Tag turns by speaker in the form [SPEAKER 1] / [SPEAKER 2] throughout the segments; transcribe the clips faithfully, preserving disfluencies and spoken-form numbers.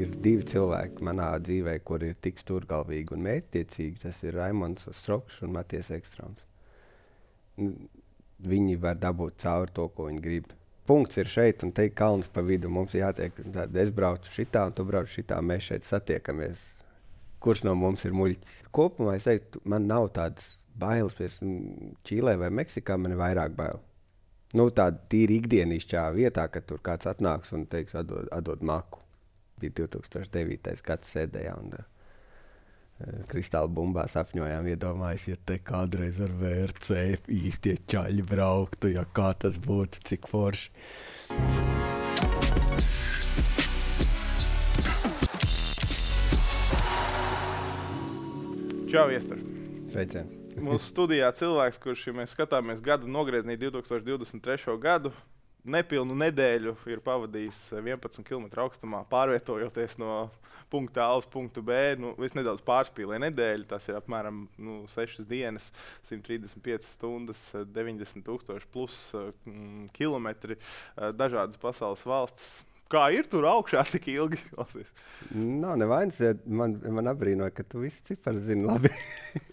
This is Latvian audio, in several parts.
[SPEAKER 1] ir divi cilvēki manā dzīvē, kur ir tik stūrgalvīgi un mērķtiecīgi. Tas ir Raimonds Strokšs un Matijas Ekstrāms. Viņi var dabūt cauri to, ko viņi grib. Punkts ir šeit, un te ir kalns pa vidu. Mums jātiek, tad es braucu šitā, un tu brauc šitā, mēs šeit satiekamies. Kurš no mums ir muļķis? Kopumā es teiktu, man nav tādas bailes pēc Čīlē vai Meksikā, man ir vairāk bail. Nu, tāda tīri ikdienišķā vietā, kad tur kāds atnāks un teiks, atdod, atdod maku. Bija divi tūkstoši devītais gads sēdējā un uh, kristāla bumbās apņojām iedomājas, ja te kādreiz ar V R C īstie čaļi brauktu, ja kā tas būtu, cik forši.
[SPEAKER 2] Čau, Iestar.
[SPEAKER 1] Sveiciens.
[SPEAKER 2] Mūsu studijā cilvēks, kurš, ja mēs skatāmies gada nogrieznī divi tūkstoši divdesmit trešo gadu, nepilnu nedēļu ir pavadījis vienpadsmit kilometru augstumā, pārvietojoties no punkta A uz punktu B. Nu, es nedaudz pārspīlēju nedēļu, tas ir apmēram nu, sešas dienas, simt trīsdesmit piecas stundas, deviņdesmit tūkstoši plus mm, kilometri, dažādas pasaules valstis. Kā ir tur augšā tik ilgi?
[SPEAKER 1] Nav nevainas, man, man apbrīnoja, ka tu visi cipari zini labi.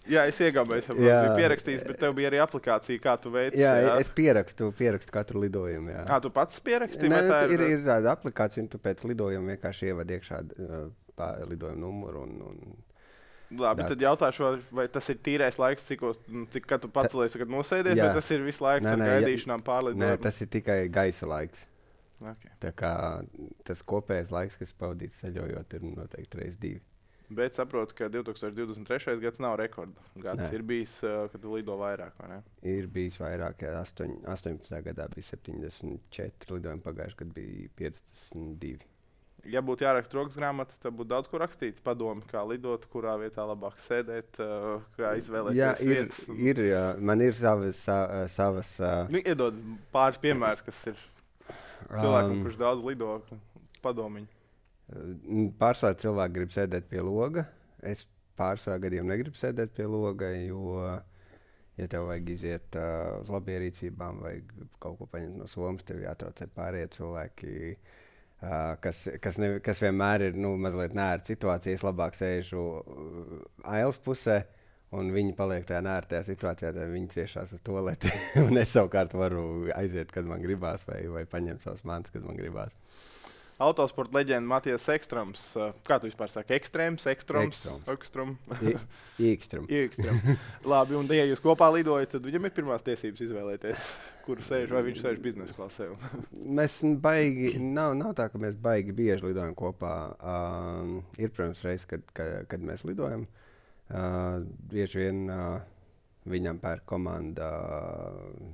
[SPEAKER 2] Jā, es iegābēju, es biju pierakstījis, bet tev bija arī aplikācija, kā tu veici.
[SPEAKER 1] Jā, jā, es pierakstu, pierakstu katru lidojumu. Jā.
[SPEAKER 2] Ā, tu pats pierakstīji?
[SPEAKER 1] Nē,
[SPEAKER 2] tā
[SPEAKER 1] ir, ir tāda aplikācija, un tu pēc lidojuma vienkārši ievad iekšā uh, lidojuma numuru. Un, un
[SPEAKER 2] Labi, dats. Tad jautāšu, vai tas ir tīrais laiks, cikos, cik kad tu pacelies, kad nosēdies, jā. Vai tas ir visu laiks nē, nē, ar gaidīšanām pārlidojumu?
[SPEAKER 1] Nē, tas ir tikai gaisa laiks.
[SPEAKER 2] Okay.
[SPEAKER 1] Tā kā tas kopējais laiks, kas pavadīts ceļojot, ir noteikti reiz divi.
[SPEAKER 2] Bet saprotu, ka divi tūkstoši divdesmit trešais gads nav rekorda gads. Nē. Ir bijis, kad tu lido vairāk, vai ne?
[SPEAKER 1] Ir bijis vairāk, jā. astoņpadsmitajā gadā bija septiņdesmit četri lidojumi, pagājuši gadu bija piecdesmit divi.
[SPEAKER 2] Ja būtu jāraksta rokas grāmata, tad būtu daudz ko rakstīt. Padomi, kā lidot, kurā vietā labāk sēdēt, kā izvēlēties
[SPEAKER 1] jā, ir,
[SPEAKER 2] vietas.
[SPEAKER 1] Ir, jā. Man ir savas... savas
[SPEAKER 2] nu, iedod pāris piemērs, kas ir... Cilvēkam, um, kurš daudz lido, padomiņu.
[SPEAKER 1] Pārsvarā cilvēki grib sēdēt pie loga. Es pārsvarā gadiem negribu sēdēt pie loga, jo, ja tev vajag iziet uh, uz labierīcībām vai kaut ko paņemt no somas, tev jātraucē pārējie cilvēki, uh, kas, kas, ne, kas vienmēr ir nu, mazliet nēra situācija. Es labāk sēžu uh, ailes pusē, un viņi paliek tajā nērtajā situācijā, tad viņi ciešās uz tualeti. Un es savukārt varu aiziet, kad man gribās, vai, vai paņemt savas mantas, kad man gribās.
[SPEAKER 2] Autosporta leģenda Matijas Ekstrāms. Kā tu vispār saki? Ekstrēms, Ekstrāms, Ekstrām?
[SPEAKER 1] Ekstrām.
[SPEAKER 2] Ekstrām. Labi, un ja jūs kopā lidojat, tad viņam ir pirmās tiesības izvēlēties, kuru sēž, vai viņš sēž biznesa klasē.
[SPEAKER 1] Mēs baigi, nav, nav tā, ka mēs baigi bieži lidojam kopā. Um, ir, protams, reiz, kad, kad, kad mēs lidojam. Uh, bieži vien uh, viņam pērk komanda uh,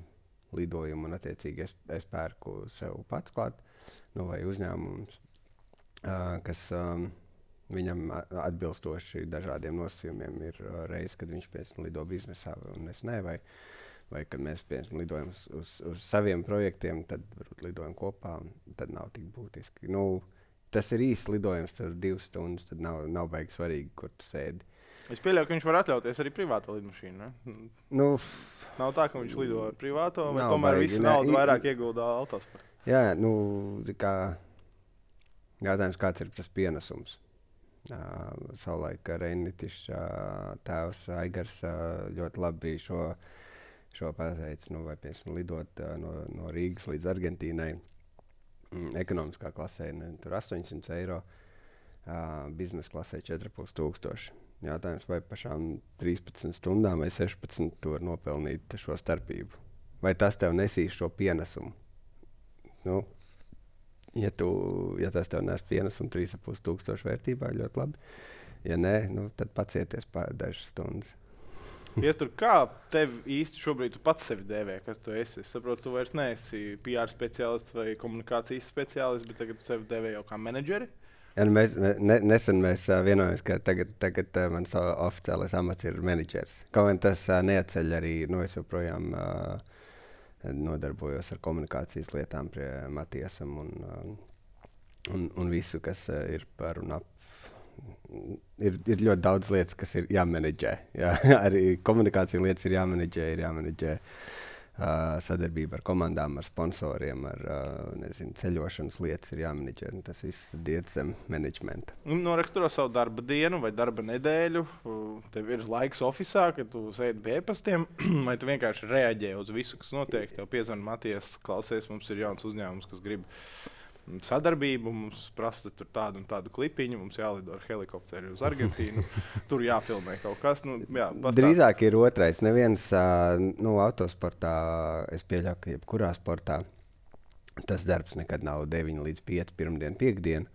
[SPEAKER 1] lidojumu, un attiecīgi es, es pērku sev pats klāt, nu, vai uzņēmums, uh, kas um, viņam atbilstoši dažādiem nosacījumiem ir uh, reiz, kad viņš piemēram lido biznesā, un es ne, vai, vai kad mēs piemēram lidojam uz, uz, uz saviem projektiem, tad varbūt lidojam kopā, tad nav tik būtiski. Nu, tas ir īsts lidojums, tur divas stundas, tad nav, nav baigi svarīgi, kur tu sēdi.
[SPEAKER 2] Es pieļauju, ka viņš var atļauties arī privāto lidmašīnu, ne?
[SPEAKER 1] Nu,
[SPEAKER 2] nav tā, ka viņš lido ar privāto, vai
[SPEAKER 1] baigi,
[SPEAKER 2] tomēr visu
[SPEAKER 1] ne,
[SPEAKER 2] naudu
[SPEAKER 1] i,
[SPEAKER 2] vairāk ieguldā autosportā?
[SPEAKER 1] Jā, nu, kā jautājums, kāds ir tas pienesums. Uh, savulaik Reinitišs uh, tēvs Aigars uh, ļoti labi šo, šo pateica, nu, vai piemēram lidot uh, no, no Rīgas līdz Argentīnai mm, ekonomiskā klasē, ne, tur astoņsimt eiro, uh, biznesa klasē četri pus tūkstoši. Jātājums, vai pašām trīspadsmit stundām vai sešpadsmit tu var nopelnīt šo starpību. Vai tas tev nesīs šo pienesumu? Nu, ja, tu, ja tas tev nes pienesumu trīs un pus tūkstoši vērtībā, ļoti labi. Ja nē, nu, tad pacieties pār dažas stundas.
[SPEAKER 2] Iestur, kā tev īsti šobrīd tu pats sevi dēvē, kas tu esi? Es saprotu, tu vairs neesi P R speciālists vai komunikācijas speciālists, bet tagad tu sevi dēvē jau kā menedžeri?
[SPEAKER 1] Ja, mēs, ne, nesen mēs uh, vienojamies, ka tagad, tagad uh, mans oficiālais amats ir menedžers. Kaut gan tas uh, neatceļ arī, nu es joprojām uh, nodarbojos ar komunikācijas lietām pie Matiesam un, uh, un, un visu, kas uh, ir par un ap. Ir, ir ļoti daudz lietas, kas ir jāmenedžē. Jā. Arī komunikācija lietas ir jāmenedžē, ir jāmenedžē. Uh, sadarbība ar komandām, ar sponsoriem, ar uh, nezinu, ceļošanas lietas ir jāmenedžē. Tas viss iet zem menedžmenta.
[SPEAKER 2] Noraksturo savu darba dienu vai darba nedēļu. Tev ir laiks oficiālā, kad tu sēdi pie e-pastiem, vai tu vienkārši reaģē uz visu, kas notiek. Tev piezvan Matijas, klausies, mums ir jauns uzņēmums, kas grib sadarbību, mums prasa tur tādu un tādu klipiņu, mums jālido ar helikopteru uz Argentīnu, tur jāfilmē kaut kas. Nu, jā,
[SPEAKER 1] drīzāk ir otrais. Neviens nu, autosportā, es pieļauju, ka jebkurā sportā tas darbs nekad nav deviņi līdz pieci pirmdien, piekdien.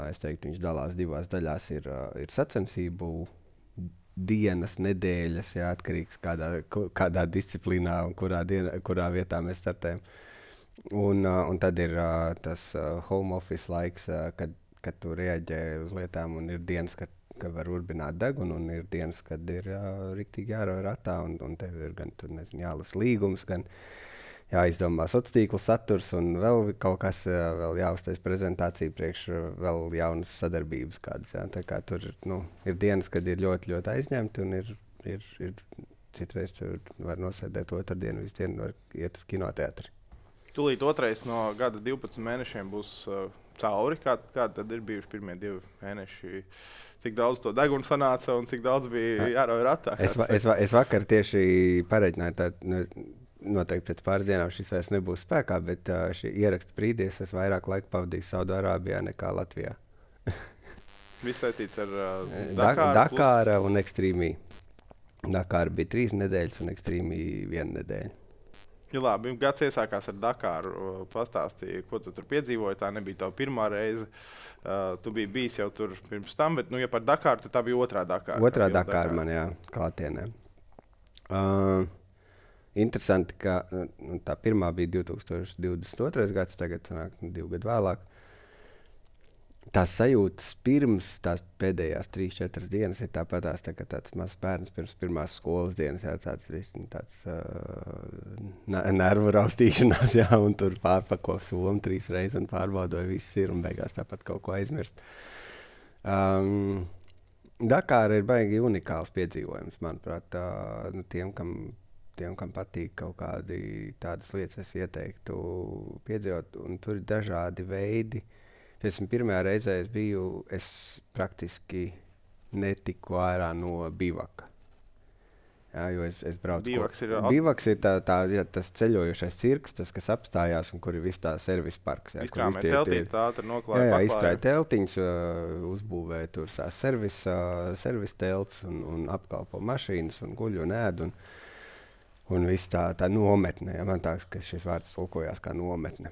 [SPEAKER 1] Es teiktu, viņš dalās divās daļās. Ir, ir sacensību dienas, nedēļas, jā, atkarīgs kādā, kādā disciplīnā un kurā, diena, kurā vietā mēs startējam. Un, uh, un tad ir uh, tas uh, home office laiks, uh, kad, kad tu reaģē uz lietām, un ir dienas, kad, kad var urbināt degunu, un ir dienas, kad ir uh, riktīgi jārauj ratā, un, un tev ir gan tur, nezinu, jālas līgums, gan jāizdomā sociālā tīkla saturs, un vēl kaut kas, uh, vēl jāuztais prezentācija priekš uh, vēl jaunas sadarbības kādas. Jā. Tā kā tur nu, ir dienas, kad ir ļoti, ļoti aizņemti, un ir, ir, ir citreiz tur var nosēdēt otrdienu, visu dienu var iet uz kinoteātri.
[SPEAKER 2] Tūlīt otrais no gada divpadsmit mēnešiem būs uh, cauri. Kā, kādi tad ir bijuši pirmie divi mēneši? Cik daudz to degunu sanāca un cik daudz bija jārauj ratā?
[SPEAKER 1] Es, va, es, va, es vakar tieši pareiķināju, tā nu, noteikti pēc pāris dienām šis vairs nebūs spēkā, bet uh, šī ieraksta brīdīs es vairāk laika pavadīju Saudārābijā nekā Latvijā.
[SPEAKER 2] Viss saistīts ar uh,
[SPEAKER 1] Dakāru, Dakāra un Extreme. Dakāra bija trīs nedēļas un Extreme viena nedēļa.
[SPEAKER 2] Ja labi, gads iesākās ar Dakāru. Pastāstīji, ko tu tur piedzīvoji. Tā nebija tava pirmā reize. Uh, tu biji bijis jau tur pirms tam, bet, nu, ja par Dakāru, tad tā bija otrā Dakāra.
[SPEAKER 1] Otrā Dakāra man, jā, klātienē. Uh, interesanti, ka nu, tā pirmā bija divtūkstoš divdesmit otrais gads, tagad sanāk divu gadu vēlāk. Tās sajūtas pirms tās pēdējās trīs, četras dienas ir tāpatās, tā kā tāds mazs bērns pirms pirmās skolas dienas, jā, tāds, tāds uh, nervu raustīšanās, jā, un tur pārpako somu trīs reizes un pārbaudoja viss ir un beigās tāpat kaut ko aizmirst. Um, Dakāra ir baigi unikāls piedzīvojums, manuprāt, uh, nu, tiem, kam, tiem, kam patīk kaut kādi tādas lietas, es ieteiktu piedzīvot, un tur ir dažādi veidi. Piemēram, pirmajā reizē es biju, es praktiski netiku ārā no bivaka. Jā, jo es, es braucu.
[SPEAKER 2] Bivaks ir,
[SPEAKER 1] bivaks ir tā, tā, jā, tas ceļojošais cirks, tas, kas apstājās un kur ir viss tā servis parks. Jā,
[SPEAKER 2] izkrāmē teltītes, ātri noklāja.
[SPEAKER 1] Jā, jā izkrāja teltiņas, uh, uzbūvēja tur sās servis, uh, servis telts un, un apkalpo mašīnas un guļ un ēd. Un, un viss tā, tā nometne. Jā, man tāks, ka šis vārds tulkojās kā nometne.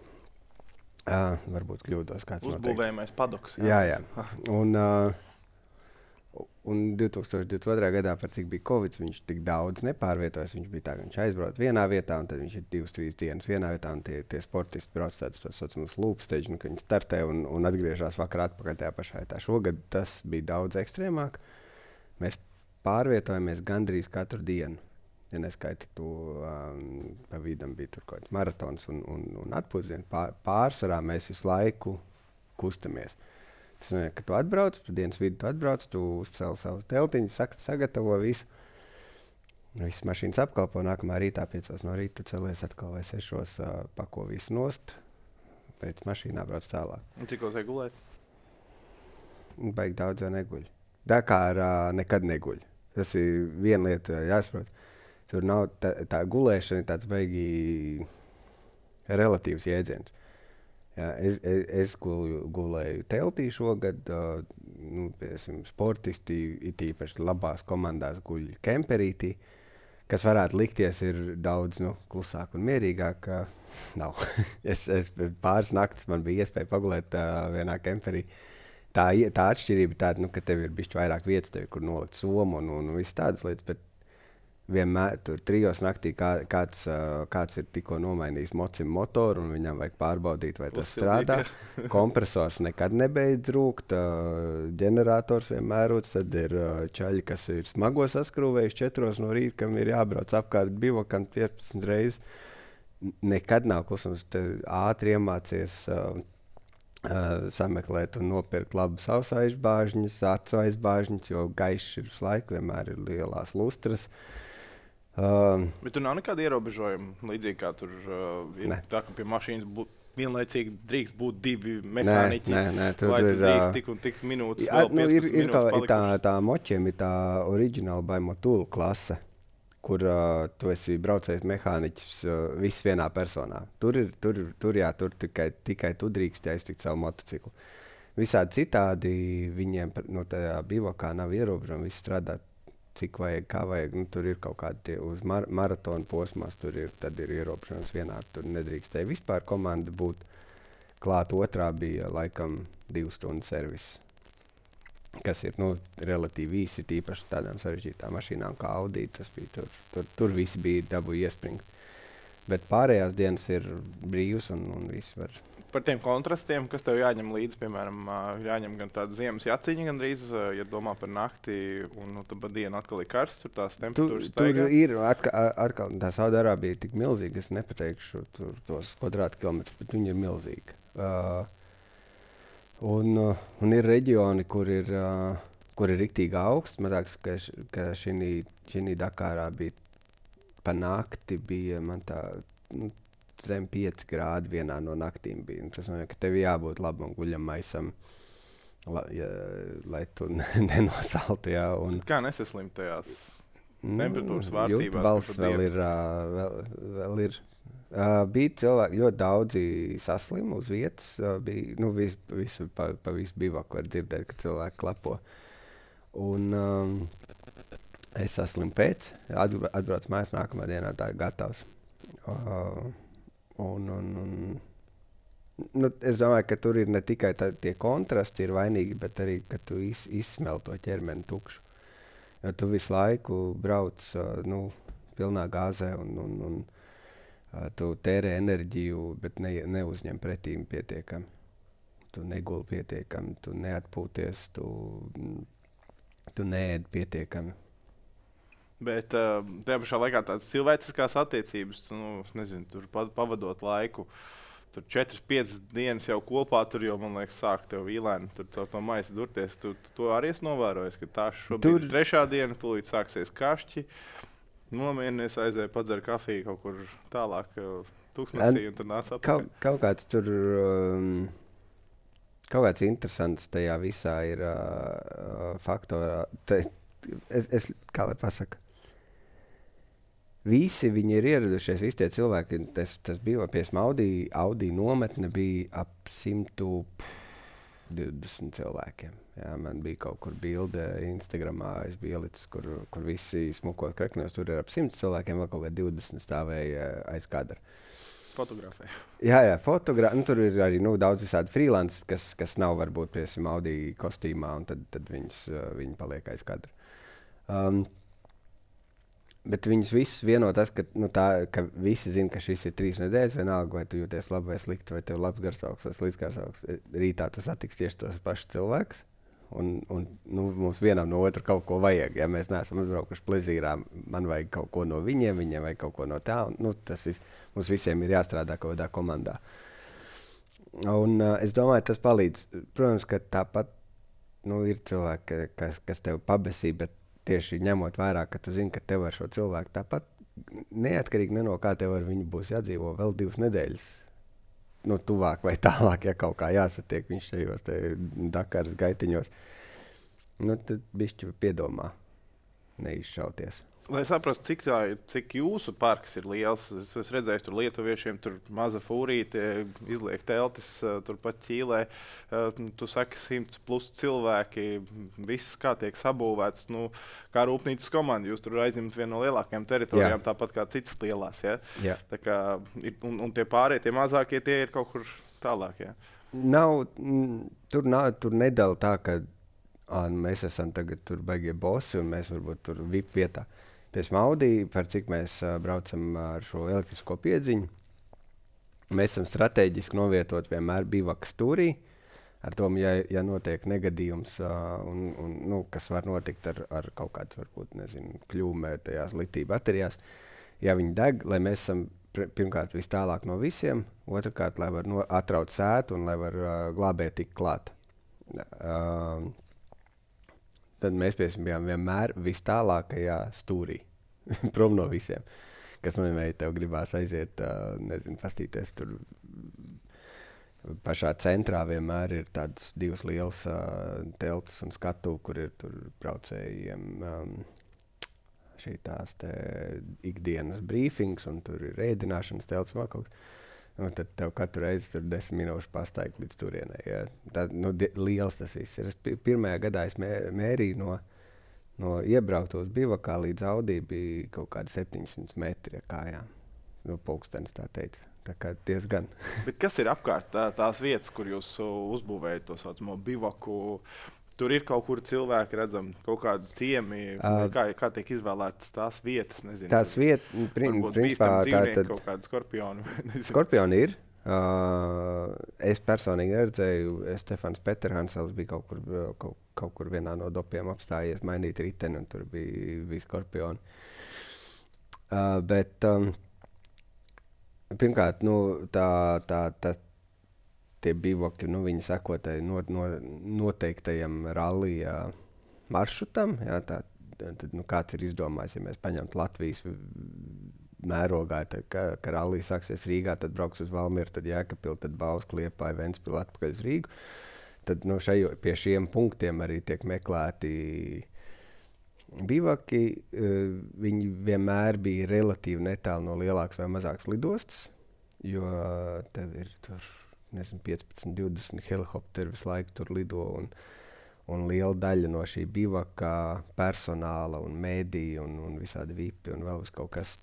[SPEAKER 1] Uh, varbūt kļūdos kāds noteikti.
[SPEAKER 2] Uzbūvējamais padoks.
[SPEAKER 1] Jā, jā. jā. Un, uh, un divtūkstoš divdesmit otrā gadā, par cik bija Covid, viņš tik daudz nepārvietojas. Viņš bija tā, ka viņš aizbrauc vienā vietā, un tad viņš ir divas, trīs dienas vienā vietā, un tie, tie sportisti brauc tādus tos saucamus loop stage, nu, ka viņi startē un, un atgriežas vakarā atpakaļ tajā pašā vietā. Šogad tas bija daudz ekstrēmāk. Mēs pārvietojamies gandrīz katru dienu. Ja neskaiti to, um, pa vidam bija tur kaut kāds maratons un, un, un atpūsdienu. Pār, pārsvarā mēs visu laiku kustamies. Tas nozīmē, ka tu atbrauc, pa dienas vidu tu atbrauc, tu uzcēli savu teltiņu, saka, sagatavo visu. Visas mašīnas apkalpo, nākamā rītā piecos no rīta tu celies atkal vai sešos, uh, pako visu nost, pēc mašīnā brauc tālāk.
[SPEAKER 2] Un cik vajag gulēt?
[SPEAKER 1] Baigi daudz jau neguļ. Dakārā nekad neguļ. Tas ir viena lieta jāsaprot. Tur nav tā, tā gulēšana, tāds baigi relatīvs jēdziens. Jā, es, es, es gulēju, gulēju teltī šogad, uh, nu, piemēram, sportisti, it īpaši labās komandās guļ kemperītī, kas varētu likties ir daudz nu, klusāk un mierīgāk. Uh, nav. es, es pāris naktis man bija iespēja pagulēt uh, vienā kemperī. Tā, tā atšķirība ir tāda, nu, ka tev ir bišķi vairāk vietas, tev ir kur nolikt somu un, un, un viss tādas lietas, bet vienmēr tur trijos naktī kā, kāds, uh, kāds ir tikko nomainījis mocim motoru un viņam vajag pārbaudīt, vai tas strādā. Kompresors nekad nebeidz rūkt, uh, ģenerators vienmēr rūc, tad ir uh, čaļi, kas ir smago saskrūvējuši četros no rīta, kam ir jābrauc apkārt bivakam piecpadsmit reizes. Nekad nav klusums, te ātri iemācies uh, uh, sameklēt un nopirkt labus ausu aizbāžņus, acu aizbāžņus, jo gaišs ir visu laiku, vienmēr ir lielās lustras. Uh,
[SPEAKER 2] Bet tur nav nekāda ierobežojuma, līdzīgi kā tur uh, ir.
[SPEAKER 1] Ne.
[SPEAKER 2] Tā kā pie mašīnas būtu vienlaicīgi drīkst būt divi
[SPEAKER 1] nē,
[SPEAKER 2] mehāniķi.
[SPEAKER 1] nē, nē, tur
[SPEAKER 2] Vai
[SPEAKER 1] ir.
[SPEAKER 2] tur drīkst
[SPEAKER 1] ā,
[SPEAKER 2] tik un tik minūtes,
[SPEAKER 1] Jā,
[SPEAKER 2] vēl
[SPEAKER 1] nu, ir,
[SPEAKER 2] piecpadsmit
[SPEAKER 1] ir, kā,
[SPEAKER 2] minūtes
[SPEAKER 1] ir tā,
[SPEAKER 2] palikušas?
[SPEAKER 1] tā močiem ir tā oriģināla Baimotula klase, kur uh, tu esi braucējis mehāniķis uh, viss vienā personā. Tur ir, tur, tur, jā, tur tikai, tikai tu drīkst aiztikt savu motociklu. Visādi citādi viņiem par- no tajā bivakā nav ierobežojumi, viss strādā cik vajag, kā vajag. Nu, tur ir kaut kādi tie uz mar maratona posmās, tur ir, tad ir ierobežojums vienā, tur nedrīkstēja vispār komanda būt. Klāt otrā bija laikam divu stundu servis, kas ir nu, relatīvi īsi, tīpaši tādām sarežģītām mašīnām kā Audi. Tas bija tur, tur, tur visi bija dabūji iespringt. Bet pārējās dienas ir brīvas un, un viss var.
[SPEAKER 2] Par tiem kontrastiem, kas tev jāņem līdzi, piemēram, ā, jāņem gan tāda ziemas jaciņa, gan drīz, ja domā par nakti, un nu, tad pa dienu atkal ir karsts, tur tās
[SPEAKER 1] Tur,
[SPEAKER 2] temperatūras
[SPEAKER 1] tur
[SPEAKER 2] staigā.
[SPEAKER 1] ir atkal, atkal tā Saudārābija ir tik milzīga, es nepateikšu tur tos kvadrātkilometrus, bet viņi ir milzīgi. Uh, un, uh, un ir reģioni, kur ir, uh, kur ir riktīgi augsts. Man liekas, ka, š- ka šī Dakārā bija pa nakti, bija man tā nu, zem pieci grādi vienā no naktīm. Bija. Un tas nozīmē, ka tev jābūt labam guļam maisam, la, ja, lai tu ne- nenosaltu. Jā, un,
[SPEAKER 2] Kā nesaslimt tajās? Temperatūras vārstībās,
[SPEAKER 1] jūtu
[SPEAKER 2] ka
[SPEAKER 1] balss
[SPEAKER 2] pa
[SPEAKER 1] vēl
[SPEAKER 2] dienu.
[SPEAKER 1] ir. Uh, vēl, vēl ir. Uh, bija cilvēki, ļoti daudzi saslimu uz vietas. Uh, bija, nu, vis, visu, pa, pa visu bivaku var dzirdēt, ka cilvēki klapo. Un, um, es saslimu pēc, atbra- atbraucu mājās nākamā dienā, tā ir gatavs. Uh, un, un, un, nu, es domāju, ka tur ir ne tikai tā, tie kontrasti ir vainīgi, bet arī, ka tu iz, izsmel to ķermeni tukšu. Jo tu visu laiku brauc uh, nu, pilnā gāzē un, un, un uh, tu tērē enerģiju, bet ne, neuzņem pretīm pietiekami. Tu neguli pietiekami, tu neatpūties, tu, tu neēd pietiekami.
[SPEAKER 2] Bet uh, tajā pašā laikā tādas cilvēciskās attiecības, nu, es nezinu, tur pa- pavadot laiku. Tur četras, piecas dienas jau kopā, tur jau, man liekas, sāk tev vīlēni, tur to, to maisu durties. Tu, tu to arī esi novērojis, ka tā šobrīd
[SPEAKER 1] Tur-
[SPEAKER 2] ir trešā diena, tūlīt sāksies kašķi. Nomierinies, aizēja padzer kafiju kaut kur tālāk, uh, tūkstnesī, un tad nāc
[SPEAKER 1] Kaut,
[SPEAKER 2] atpakaļ.
[SPEAKER 1] kaut kāds tur, um, kaut kāds interesants tajā visā ir uh, faktorā. Te, es, es, kā lai pasaka, visi viņi ir ieradušies, visi tie cilvēki, tas, tas bija pie Audi, Audi nometne bija ap simt divdesmit cilvēkiem. Jā, man bija kaut kur bilde Instagramā, es biju ielicis, kur, kur visi smukot krekņos, tur ir ap simt cilvēkiem, vēl kaut kā divdesmit stāvēja aiz kadra.
[SPEAKER 2] Fotografē.
[SPEAKER 1] Jā, jā, fotogrāfi. Nu, tur ir arī nu, daudz visādi freelance, kas, kas nav varbūt pie Audi kostīmā, un tad, tad viņus, uh, viņi paliek aiz kadra. Um, bet viņus visus vieno tas, ka, nu, tā, ka visi zina, ka šis ir trīs nedēļas, vienalga, vai tu jūties labi vai slikti, vai tev labs garsaugs vai slikts garsaugs. Rītā tu satiks tieši tos pašus cilvēkus. Un, un nu, mums vienam no otra kaut ko vajag. Ja mēs neesam atbraukuši plezīrā, man vajag kaut ko no viņiem, viņiem vajag kaut ko no tā. Un, nu, tas vis, mums visiem ir jāstrādā kaut kādā komandā. Un, uh, es domāju, tas palīdz. Protams, ka tāpat nu, ir cilvēki, kas, kas tev pabesī, bet tieši ņemot vērā, ka tu zini, ka tev ar šo cilvēku tāpat neatkarīgi ne no kā tev ar viņu būs jādzīvo vēl divas nedēļas. Nu, tuvāk vai tālāk, ja kaut kā jāsatiek viņš šajos Dakaras gaitiņos, nu, tad bišķi piedomā neizšauties.
[SPEAKER 2] Lai saprastu, cik, tā, cik jūsu parks ir liels, es esmu redzējis, tur lietuviešiem tur maza fūrīte, izliek teltis, uh, turpat Ķīlē. Uh, tu saki, simts plus cilvēki, viss kā tiek sabūvēts. Nu, kā rūpnīcas komanda, jūs tur aizņemat vienu no lielākajām teritorijām,
[SPEAKER 1] Jā.
[SPEAKER 2] tāpat kā citas lielās. Ja?
[SPEAKER 1] Jā.
[SPEAKER 2] Tā kā, ir, un, un tie pārējie, tie mazākie, tie ir kaut kur tālāk. Ja?
[SPEAKER 1] Nav, mm, tur, nav, tur nedala tā, ka ā, nu, mēs esam tagad tur baigie bosi un mēs varbūt tur V I P vietā. Pie Audi, par cik mēs uh, braucam ar šo elektrisko piedziņu, mēs esam strateģiski novietot vienmēr bivakas stūrī. Ar to, ja, ja notiek negadījums, uh, un, un, nu, kas var notikt ar, ar kaut kādu, varbūt, nezinu, kļūmē tajās litiju baterijās, ja viņi deg, lai mēs esam pr- pirmkārt vis tālāk no visiem, otrkārt, lai var no, atraut sētu un lai var uh, glābēt tik klāt. Uh, Tad mēs bijām vienmēr vis tālākajā stūrī. prom no visiem. Kas nozīmē, ja tev gribās aiziet, uh, nezinu, pastīties tur pašā centrā vienmēr ir tādas divas lielas uh, telpas un skatu, kur ir tur braucējiem um, šī tās te ikdienas brīfings, un tur ir ēdināšanas telpas vēl kaut kas. Un tad tev katru reizi tur desmit minūšu pastaigt līdz turienei. Ja. Tā, nu, di- liels tas viss ir. Es pi- pirmajā gadā es mē, mērīju no, no iebrauktos bivakā līdz Audī bija kaut kādi septiņsimt metri ar kājām. Nu, pulkstenis tā teica. Tā kā diezgan.
[SPEAKER 2] Bet kas ir apkārt tā, tās vietas, kur jūs uh, uzbūvējat to saucamo bivaku? Tur ir kaut kur cilvēki redzami, kaut kādi ciemi,
[SPEAKER 1] Uh,
[SPEAKER 2] kā, kā tiek izvēlētas tās vietas, nezinu.
[SPEAKER 1] Tās vietas, prin,
[SPEAKER 2] Varbūt
[SPEAKER 1] principā,
[SPEAKER 2] bīstami
[SPEAKER 1] tā
[SPEAKER 2] dzīvnieki,
[SPEAKER 1] tad
[SPEAKER 2] kaut kādi skorpioni. nezinu.
[SPEAKER 1] skorpioni ir. Uh, es personīgi neredzēju, Stefans Peterhansels bija kaut kur, uh, kaut, kaut kur vienā no dopiem apstājies, mainīt riteni, un tur bija, bija skorpioni. Uh, bet um, pirmkārt, nu, tā, tā, tā, tie bivaki, nu, viņi seko tai no, no, noteiktajam rallija maršrutam. Jā, tā, tad, nu, kāds ir izdomājis, ja mēs paņemtu Latvijas v- mērogā, tad, ka, ka rallija sāksies Rīgā, tad brauks uz Valmieru, tad Jēkabpili, tad Bausku, Liepāju, Ventspili, atpakaļ uz Rīgu. Tad nu, šajo, pie šiem punktiem arī tiek meklēti bivaki. Uh, viņi vienmēr bija relatīvi netālu no lielākas vai mazākas lidostas, jo uh, tev ir tur, nezinu, piecpadsmit, divdesmit helikopteri visu laiku tur lido, un, un liela daļa no šī bivaka personāla un mēdī un, un visādi vipi un vēl vis kaut kas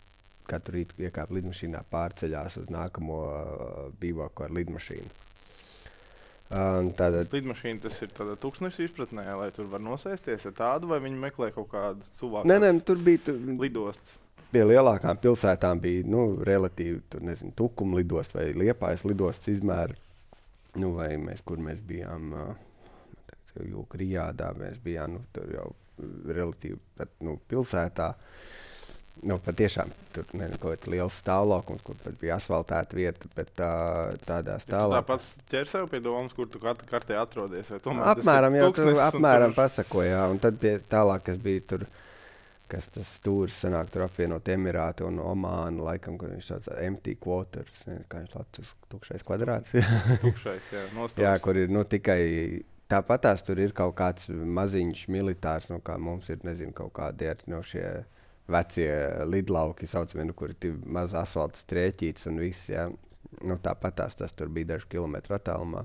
[SPEAKER 1] katru rītu iekāp lidmašīnā pārceļās uz nākamo uh, bivaku ar lidmašīnu. Um, tātad,
[SPEAKER 2] Lidmašīna tas ir tādā tūkstneša izpratnē, lai tur var nosēsties ar tādu, vai viņi meklē kaut kādu cilvēku
[SPEAKER 1] nē, nē, nu, tur bija tur,
[SPEAKER 2] lidostas.
[SPEAKER 1] pie lielākām pilsētām bija nu, relatīvi tur, nezinu, Tukuma lidosts vai Liepājas lidosts izmēri. Nu, vai mēs, kur mēs bijām, uh, Jūka Rijādā, mēs bijām nu, tur jau relatīvi pat, nu, pilsētā. Nu, patiešām tur nezinu, kaut kāds liels stāvlaukums, kur pat bija asfaltēta vieta, bet tā, tādā
[SPEAKER 2] Ja tu
[SPEAKER 1] stāvā.
[SPEAKER 2] tāpat ķer sev pie domas, kur tu kat- kartē atrodies. vai tomēr tas ir
[SPEAKER 1] Apmēram, jā, tu
[SPEAKER 2] tūkstnesis un
[SPEAKER 1] apmēram
[SPEAKER 2] tur-
[SPEAKER 1] pasakoja, jā, un tad pie tālāk, kas bija tur, kas tas stūris sanāk, tur apvienot Emirāti un Omānu, laikam, kur viņš tāds empty quarters, nezinu, kā viņš latvijas tukšais kvadrāts.
[SPEAKER 2] Tukšais, jā, nostūris.
[SPEAKER 1] Jā, kur ir nu, tikai tāpatās tur ir kaut kāds maziņš militārs, nu, kā mums ir, nezinu, kaut kādi ir no šie vecie lidlauki, saucamie, nu, kur ir tik maz asfalta strēķīts un viss, jā. Nu, tāpatās tas tur bija dažu kilometru attālumā.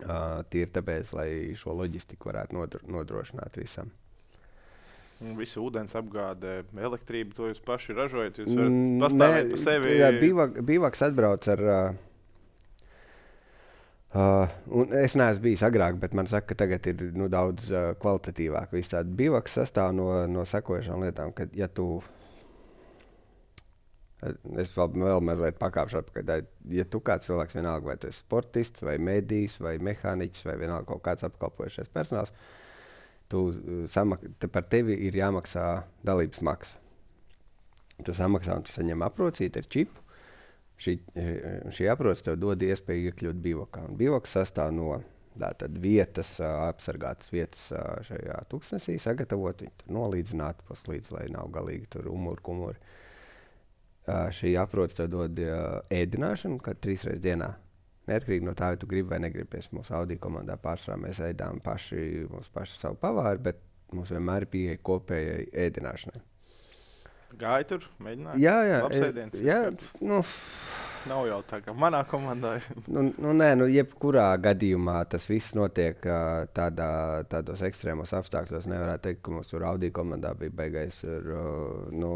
[SPEAKER 1] Uh, tīri tāpēc, lai šo loģistiku varētu nodro, nodrošināt visam.
[SPEAKER 2] Un visu ūdens apgāde, elektrību, to jūs paši ražojat. Jūs varat
[SPEAKER 1] Mm,
[SPEAKER 2] pastāvēt
[SPEAKER 1] nē,
[SPEAKER 2] par sevi.
[SPEAKER 1] Jā, bivak, bivaks atbrauc ar... Uh, Uh, un es neesmu bijis agrāk, bet man saka, ka tagad ir nu, daudz uh, kvalitatīvāk. Viss tāds bivaks sastāv no, no sekojošām lietām, ka, ja tu, es vēl, vēl mazliet pakāpšu atpakaļ, tā, ja tu kāds cilvēks vienalga, vai tu esi sportists, vai medijs, vai mehāniķis, vai vienalga kaut kāds apkalpojušais personāls, tu, uh, samak, te par tevi ir jāmaksā dalības maksa. Tu samaksā un tu saņem aprocīti ar čipu. Šī, šī aprots tev dod iespēju iekļūt bivakā. Un bivaks sastāv no tātad vietas, ā, apsargātas vietas ā, šajā tūkstnesī, sagatavot, viņi tur nolīdzināt puslīdz, lai nav galīgi tur umuri, kumuri. Ā, Šī aprots tev dod ā, ēdināšanu, kad trīs reizes dienā. Neatkarīgi no tā, vai tu gribi vai negribi. Pēc mūsu Audi komandā pārsvarā mēs ēdām paši, mūsu paši savu pavāri, bet mums vienmēr ir pieeja kopējai ēdināšanai.
[SPEAKER 2] Gāja tur, mēģināja.
[SPEAKER 1] Jā, jā,
[SPEAKER 2] Labs
[SPEAKER 1] e-
[SPEAKER 2] ēdiens,
[SPEAKER 1] jā,
[SPEAKER 2] izskats.
[SPEAKER 1] nu,
[SPEAKER 2] Nav jau tā, kā manā komandā.
[SPEAKER 1] Nu, nu, nē, nu, jebkurā gadījumā tas viss notiek ā, tādā, tādos ekstrēmos apstākļos. Nevarētu teikt, ka mums tur Audi komandā bija beigais ar, ā, nu,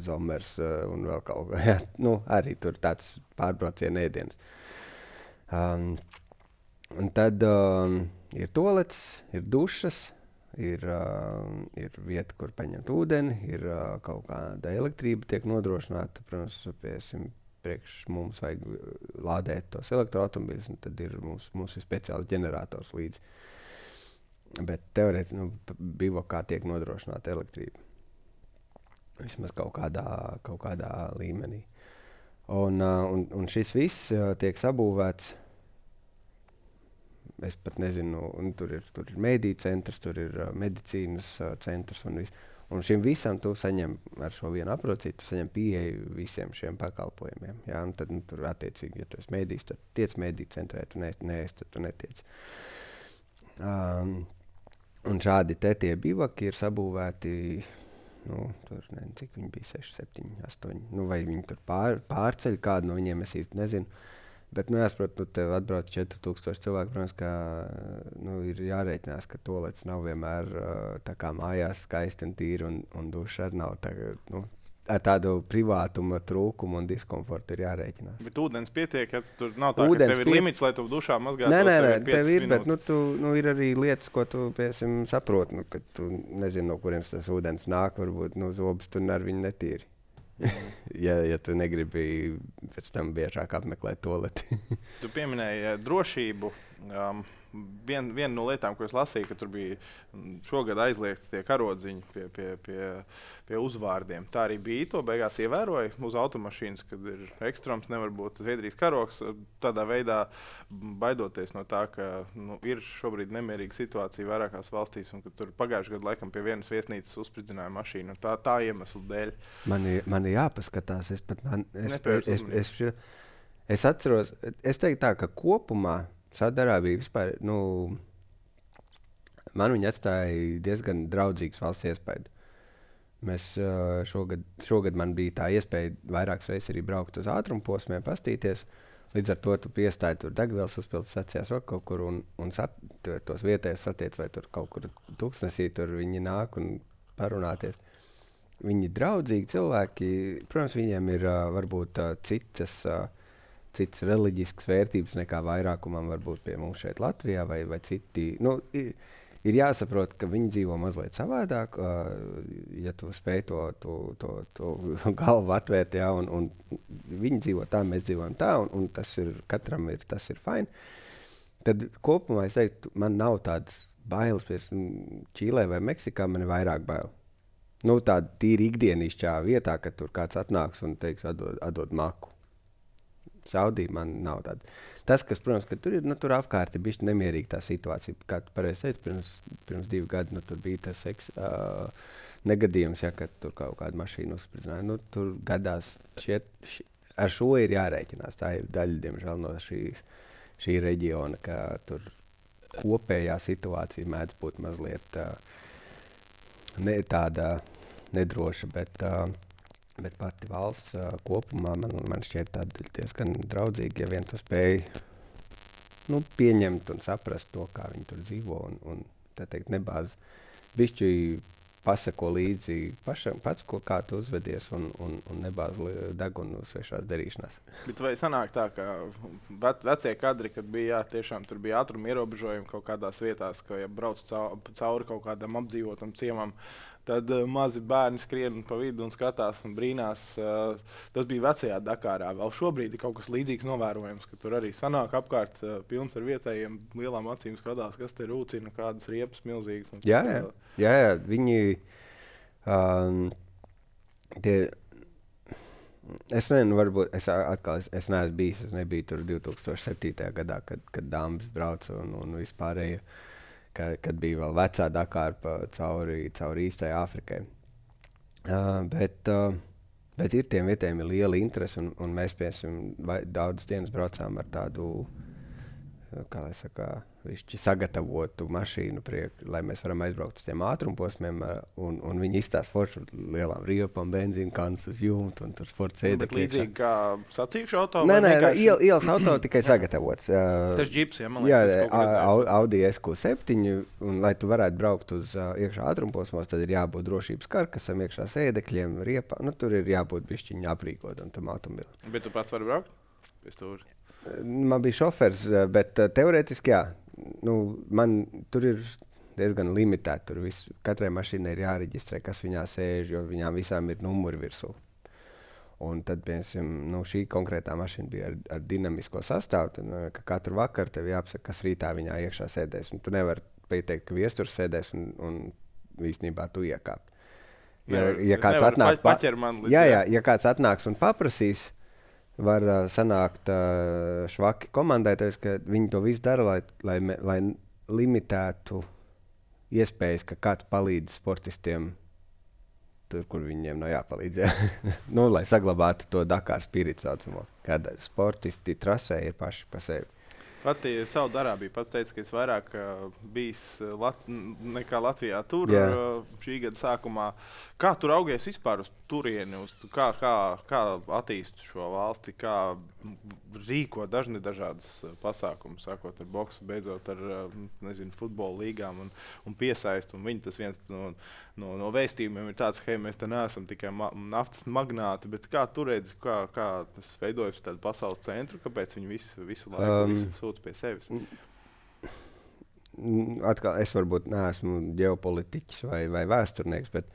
[SPEAKER 1] Zomers ā, un vēl kaut kā. Jā, nu, arī tur tāds pārbrauciena ēdiens. Um, un tad um, ir toalets, ir dušas, ir, uh, ir vieta, kur paņemt ūdeni, ir uh, kaut kāda elektrība tiek nodrošināta. Protams, piesim, priekš mums vajag lādēt tos elektroautomobiļus, un tad ir mums, mums ir speciāls ģenerators līdzi. Bet teorētiski, nu, p- bivakā tiek nodrošināta elektrība. Vismaz kaut kādā, kaut kādā līmenī. Un, uh, un, un šis viss uh, tiek sabūvēts. Es pat nezinu, un tur ir, tur ir mediju centrs, tur ir uh, medicīnas uh, centrs un viss. Un šim visam tu saņem ar šo vienu aprocīti, tu saņem pieeju visiem šiem pakalpojumiem. Jā, un tad nu, tur attiecīgi, ja tu esi mēdījis, tad tiec mēdī centrē, tu neesi, neesi tad tu netiec. Um, un šādi te tie bivaki ir sabūvēti, nu, tur nezinu, cik viņi bija, seši, septiņi, astoņi, nu, vai viņi tur pār, pārceļ kādu no viņiem, es īsti nezinu. Bet, nu, jāsaprot, nu, tev atbrauc četri tūkstoši cilvēku, protams, ka, nu, ir jārēķinās, ka tolets nav vienmēr tā kā mājās skaisti un tīri, un, un duša arī nav tā, nu, ar tādu privātuma trūkumu un diskomfortu ir jārēķinās.
[SPEAKER 2] Bet ūdens pietiek, ja tur nav tā,
[SPEAKER 1] ūdens
[SPEAKER 2] ka tev ir
[SPEAKER 1] piet...
[SPEAKER 2] limits, lai tu dušā mazgātos.
[SPEAKER 1] Nē, nē, nē, tev ir,
[SPEAKER 2] minūtes.
[SPEAKER 1] bet, nu, tu, nu, ir arī lietas, ko tu, piemēram, saproti, nu, ka tu nezini, no kuriems tas ūdens nāk, varbūt, nu, zobus tu ar viņu netīri. ja, ja tu negribi pēc tam biežāk apmeklēt toleti.
[SPEAKER 2] Tu pieminēji drošību. Um, vien, viena no lietām, ko es lasīju, ka tur bija šogad aizliegti tie karodziņi pie, pie, pie, pie uzvārdiem. Tā arī bija. To beigās ievēroja uz automašīnas, kad ir ekstrēms, nevar būt Zviedrijas karogs. Tādā veidā baidoties no tā, ka nu, ir šobrīd nemierīga situācija vairākās valstīs, un ka tur pagājušajā gadā laikam pie vienas viesnīcas uzspridzināja mašīnu. Tā, tā iemesla dēļ.
[SPEAKER 1] Man ir, man ir jāpaskatās. Es, pat, man, es, es, es, es, es atceros, es teiktu tā, ka kopumā Saudarābija vispār, nu, man viņa atstāja diezgan draudzīgs valsts iespēju. Mēs uh, šogad, šogad man bija tā iespēja vairākas reizes arī braukt uz ātrumposmiem, pastīties. Līdz ar to tu piestāji tur degvielas uzpildes sacījās vēl kaut kur un, un sat, tos vietējos satiec vai tur kaut kur tūkstnesī tur viņi nāk un parunāties. Viņi draudzīgi cilvēki, protams, viņiem ir uh, varbūt uh, citas... Uh, citas reliģiskas vērtības nekā vairākumam varbūt pie mums šeit Latvijā vai, vai citi. Nu, ir, ir jāsaprot, ka viņi dzīvo mazliet savādāk, uh, ja tu spēj to, to, to, to galvu atvērt, jā, un, un viņi dzīvo tā, mēs dzīvojam tā, un, un tas ir, katram ir, tas ir fine. Tad kopumā es teiktu, man nav tādas bailes, pēc Čīlē vai Meksikā man ir vairāk bail. Nu, tāda tīri ikdienišķā vietā, kad tur kāds atnāks un teiks, atdod, atdod maku. Saudija man nav tāda. Tas, kas, protams, ka tur ir, nu, tur apkārt ir bišķi nemierīga tā situācija. Kā tu pareizi teici, pirms, pirms divi gadi, nu, tur bija tas eks, uh, negadījums, ja, kad tur kaut kāda mašīna uzspridzināja. Nu, tur gadās, šiet, ši, ar šo ir jārēķinās. Tā ir daļa, diemžēl, no šīs, šī reģiona, ka tur kopējā situācija mēdz būt mazliet uh, ne tāda nedroša, bet... Uh, Bet pati valsts uh, kopumā man, man šķiet tāda diezgan draudzīga, ja vien tu spēj nu, pieņemt un saprast to, kā viņi tur dzīvo un, un tā teikt, nebāz bišķi pasako līdzi pašam, pats, ko kā tu uzvedies un, un, un nebāz degunu svešās darīšanās.
[SPEAKER 2] Bet vai sanāk tā, ka ve vecie kadri, kad bija, jā, tiešām tur bija ātruma ierobežojumi kaut kādās vietās, ka ja brauc cauri kaut kādam apdzīvotam ciemam, tad uh, mazi bērni skrien pa vidu un skatās un brīnās. Uh, tas bija vecajā Dakārā. Vēl šobrīd ir kaut kas līdzīgs novērojams, ka tur arī sanāk apkārt uh, pilns ar vietējiem lielām acīm skatās, kas te rūcina, kādas riepas milzīgas. Un,
[SPEAKER 1] jā, jā, jā, jā, viņi... Um, tie, es nezinu, varbūt, es atkal, es, es neesmu bijis, es nebiju tur divi tūkstoši septītajā gadā, kad, kad dāmas brauca un, un vispārēja. Ka, kad bija vēl vecā Dakāra cauri, cauri īstai Āfrikai. Uh, bet, uh, bet ir tiem vietējiem ir liela interese, un, un mēs piemēram daudzas dienas braucām ar tādu, kā lai saka, višķi sagatavotu mašīnu, priek, lai mēs varam aizbraukt uz tiem ātrumposmiem, un, un viņi izstāsta foršu lielām riepām, benzīnu kanas uz jumtu, un tur sporta sēdekļi.
[SPEAKER 2] Līdzīgi kā sacīkšu auto?
[SPEAKER 1] Nē, nē, vienkārši... iel, ielas auto tikai sagatavots. Uh,
[SPEAKER 2] Tas džips, ja, man liekas.
[SPEAKER 1] Jā, Audi S Q septiņi, un lai tu varētu braukt uz uh, iekšā ātrumposmos, tad ir jābūt drošības karkasam, iekšā sēdekļiem, riepām. Nu, tur ir jābūt bišķiņi aprīkotam tam automobilim.
[SPEAKER 2] Bet tu pats vari braukt? Pēc tūri?
[SPEAKER 1] Man bija šofers, bet uh, teorētiski jā. Nu, man tur ir diezgan limitēti. Tur viss, katrai mašīnai ir jāreģistrē, kas viņā sēž, jo viņām visām ir numuri virsū. Un tad, piemēram, nu, šī konkrētā mašīna bija ar, ar dinamisko sastāvu. Tad, nu, ka katru vakaru tev jāapsaka, kas rītā viņā iekšā sēdēs. Un tu nevari pateikt, ka viesturs sēdēs un, un īstenībā tu iekāp. Ja,
[SPEAKER 2] nevar,
[SPEAKER 1] ja kāds atnāk,
[SPEAKER 2] pa, līdz,
[SPEAKER 1] jā, jā, ja kāds atnāks un paprasīs, var uh, sanākt uh, švaki komandēties, ka viņi to visu dara, lai, lai, lai limitētu iespējas, ka kāds palīdz sportistiem tur, kur viņiem nav jāpalīdz. Jā. Nu, lai saglabātu to Dakar spiritu saucamo, kad sportisti trasē ir paši pa sevi.
[SPEAKER 2] Pati Saudarābija pats teica, ka es vairāk uh, bijis Lat nekā Latvijā tur
[SPEAKER 1] Jā.
[SPEAKER 2] uh, šī gada sākumā. Kā tur augies vispār uz turieni? Uz, kā, kā, kā attīst šo valsti? Kā rīko dažni dažādas pasākumus, sākot ar boksu, beidzot ar uh, nezinu, futbola līgām un, un piesaistu. Un viņi tas viens no, no, no vēstījumiem ir tāds, ka hei, mēs te neesam tikai ma naftas magnāti, bet kā tu redzi, kā, kā tas veidojas tādu pasaules centru, kāpēc viņi visu, visu laiku um, visu sūta pie sevis?
[SPEAKER 1] Atkal, es varbūt neesmu ģeopolitiķis vai, vai vēsturnieks, bet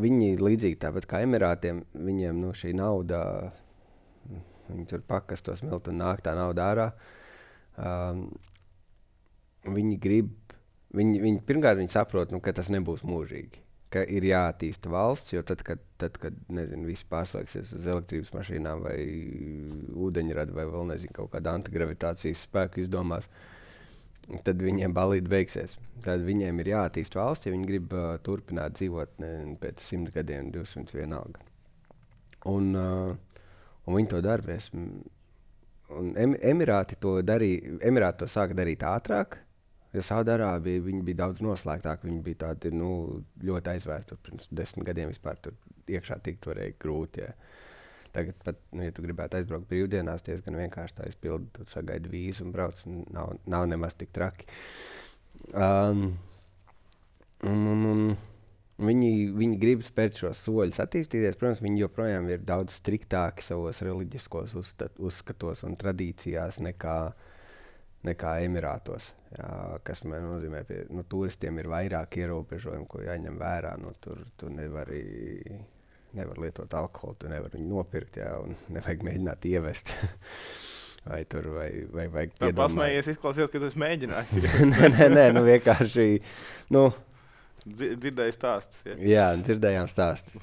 [SPEAKER 1] viņi līdzīgi tāpat kā Emirātiem, viņiem nu, šī nauda, viņi tur pakas to smiltu un nāk tā nauda ārā. Um, viņi grib, viņi, viņi, pirmkārt viņi saprot, nu, ka tas nebūs mūžīgi, ka ir jāattīsta valsts, jo tad, kad, tad, kad nezinu, visi pārslēgsies uz elektrības mašīnām vai ūdeņradu vai vēl nezinu, kaut kādu antigravitācijas spēku izdomās, tad viņiem balīti beigsies. Tad viņiem ir jāattīst valsts, ja viņi grib uh, turpināt dzīvot ne, pēc simt gadiem, divsimt vienalga. Un, uh, un viņi to darbies. Un em, Emirāti to darīja, Emirāti to sāka darīt ātrāk, jo Saudarābija viņi bija daudz noslēgtāki, viņi bija tādi nu, ļoti aizvērti. Pirms desmit gadiem vispār tur iekšā tikt varēja grūti. Ja. Tagad pat, nu, ja tu gribētu aizbraukt brīvdienās, diezgan vienkārši tā izpildi, tu sagaidi vīzu un brauc, un nav, nav nemaz tik traki. Um, un, un, un viņi, viņi grib spērt šos soļus attīstīties. Protams, viņi joprojām ir daudz striktāki savos reliģiskos uzstat, uzskatos un tradīcijās nekā, nekā Emirātos. Jā, kas man nozīmē, ka nu, turistiem ir vairāk ierobežojumu, ko jāņem vērā. Nu, tur, tur nevar, nevar lietot alkoholu, tu nevar viņu nopirkt, jā, un nevajag mēģināt ievest. Vai tur vai, vai vajag piedomāt.
[SPEAKER 2] Pasmējies, izklausījās, ka tu esi mēģinājis.
[SPEAKER 1] nē, nē, nē, nu vienkārši, nu...
[SPEAKER 2] Dzirdēju stāstus, ja?
[SPEAKER 1] Jā, dzirdējām stāstus.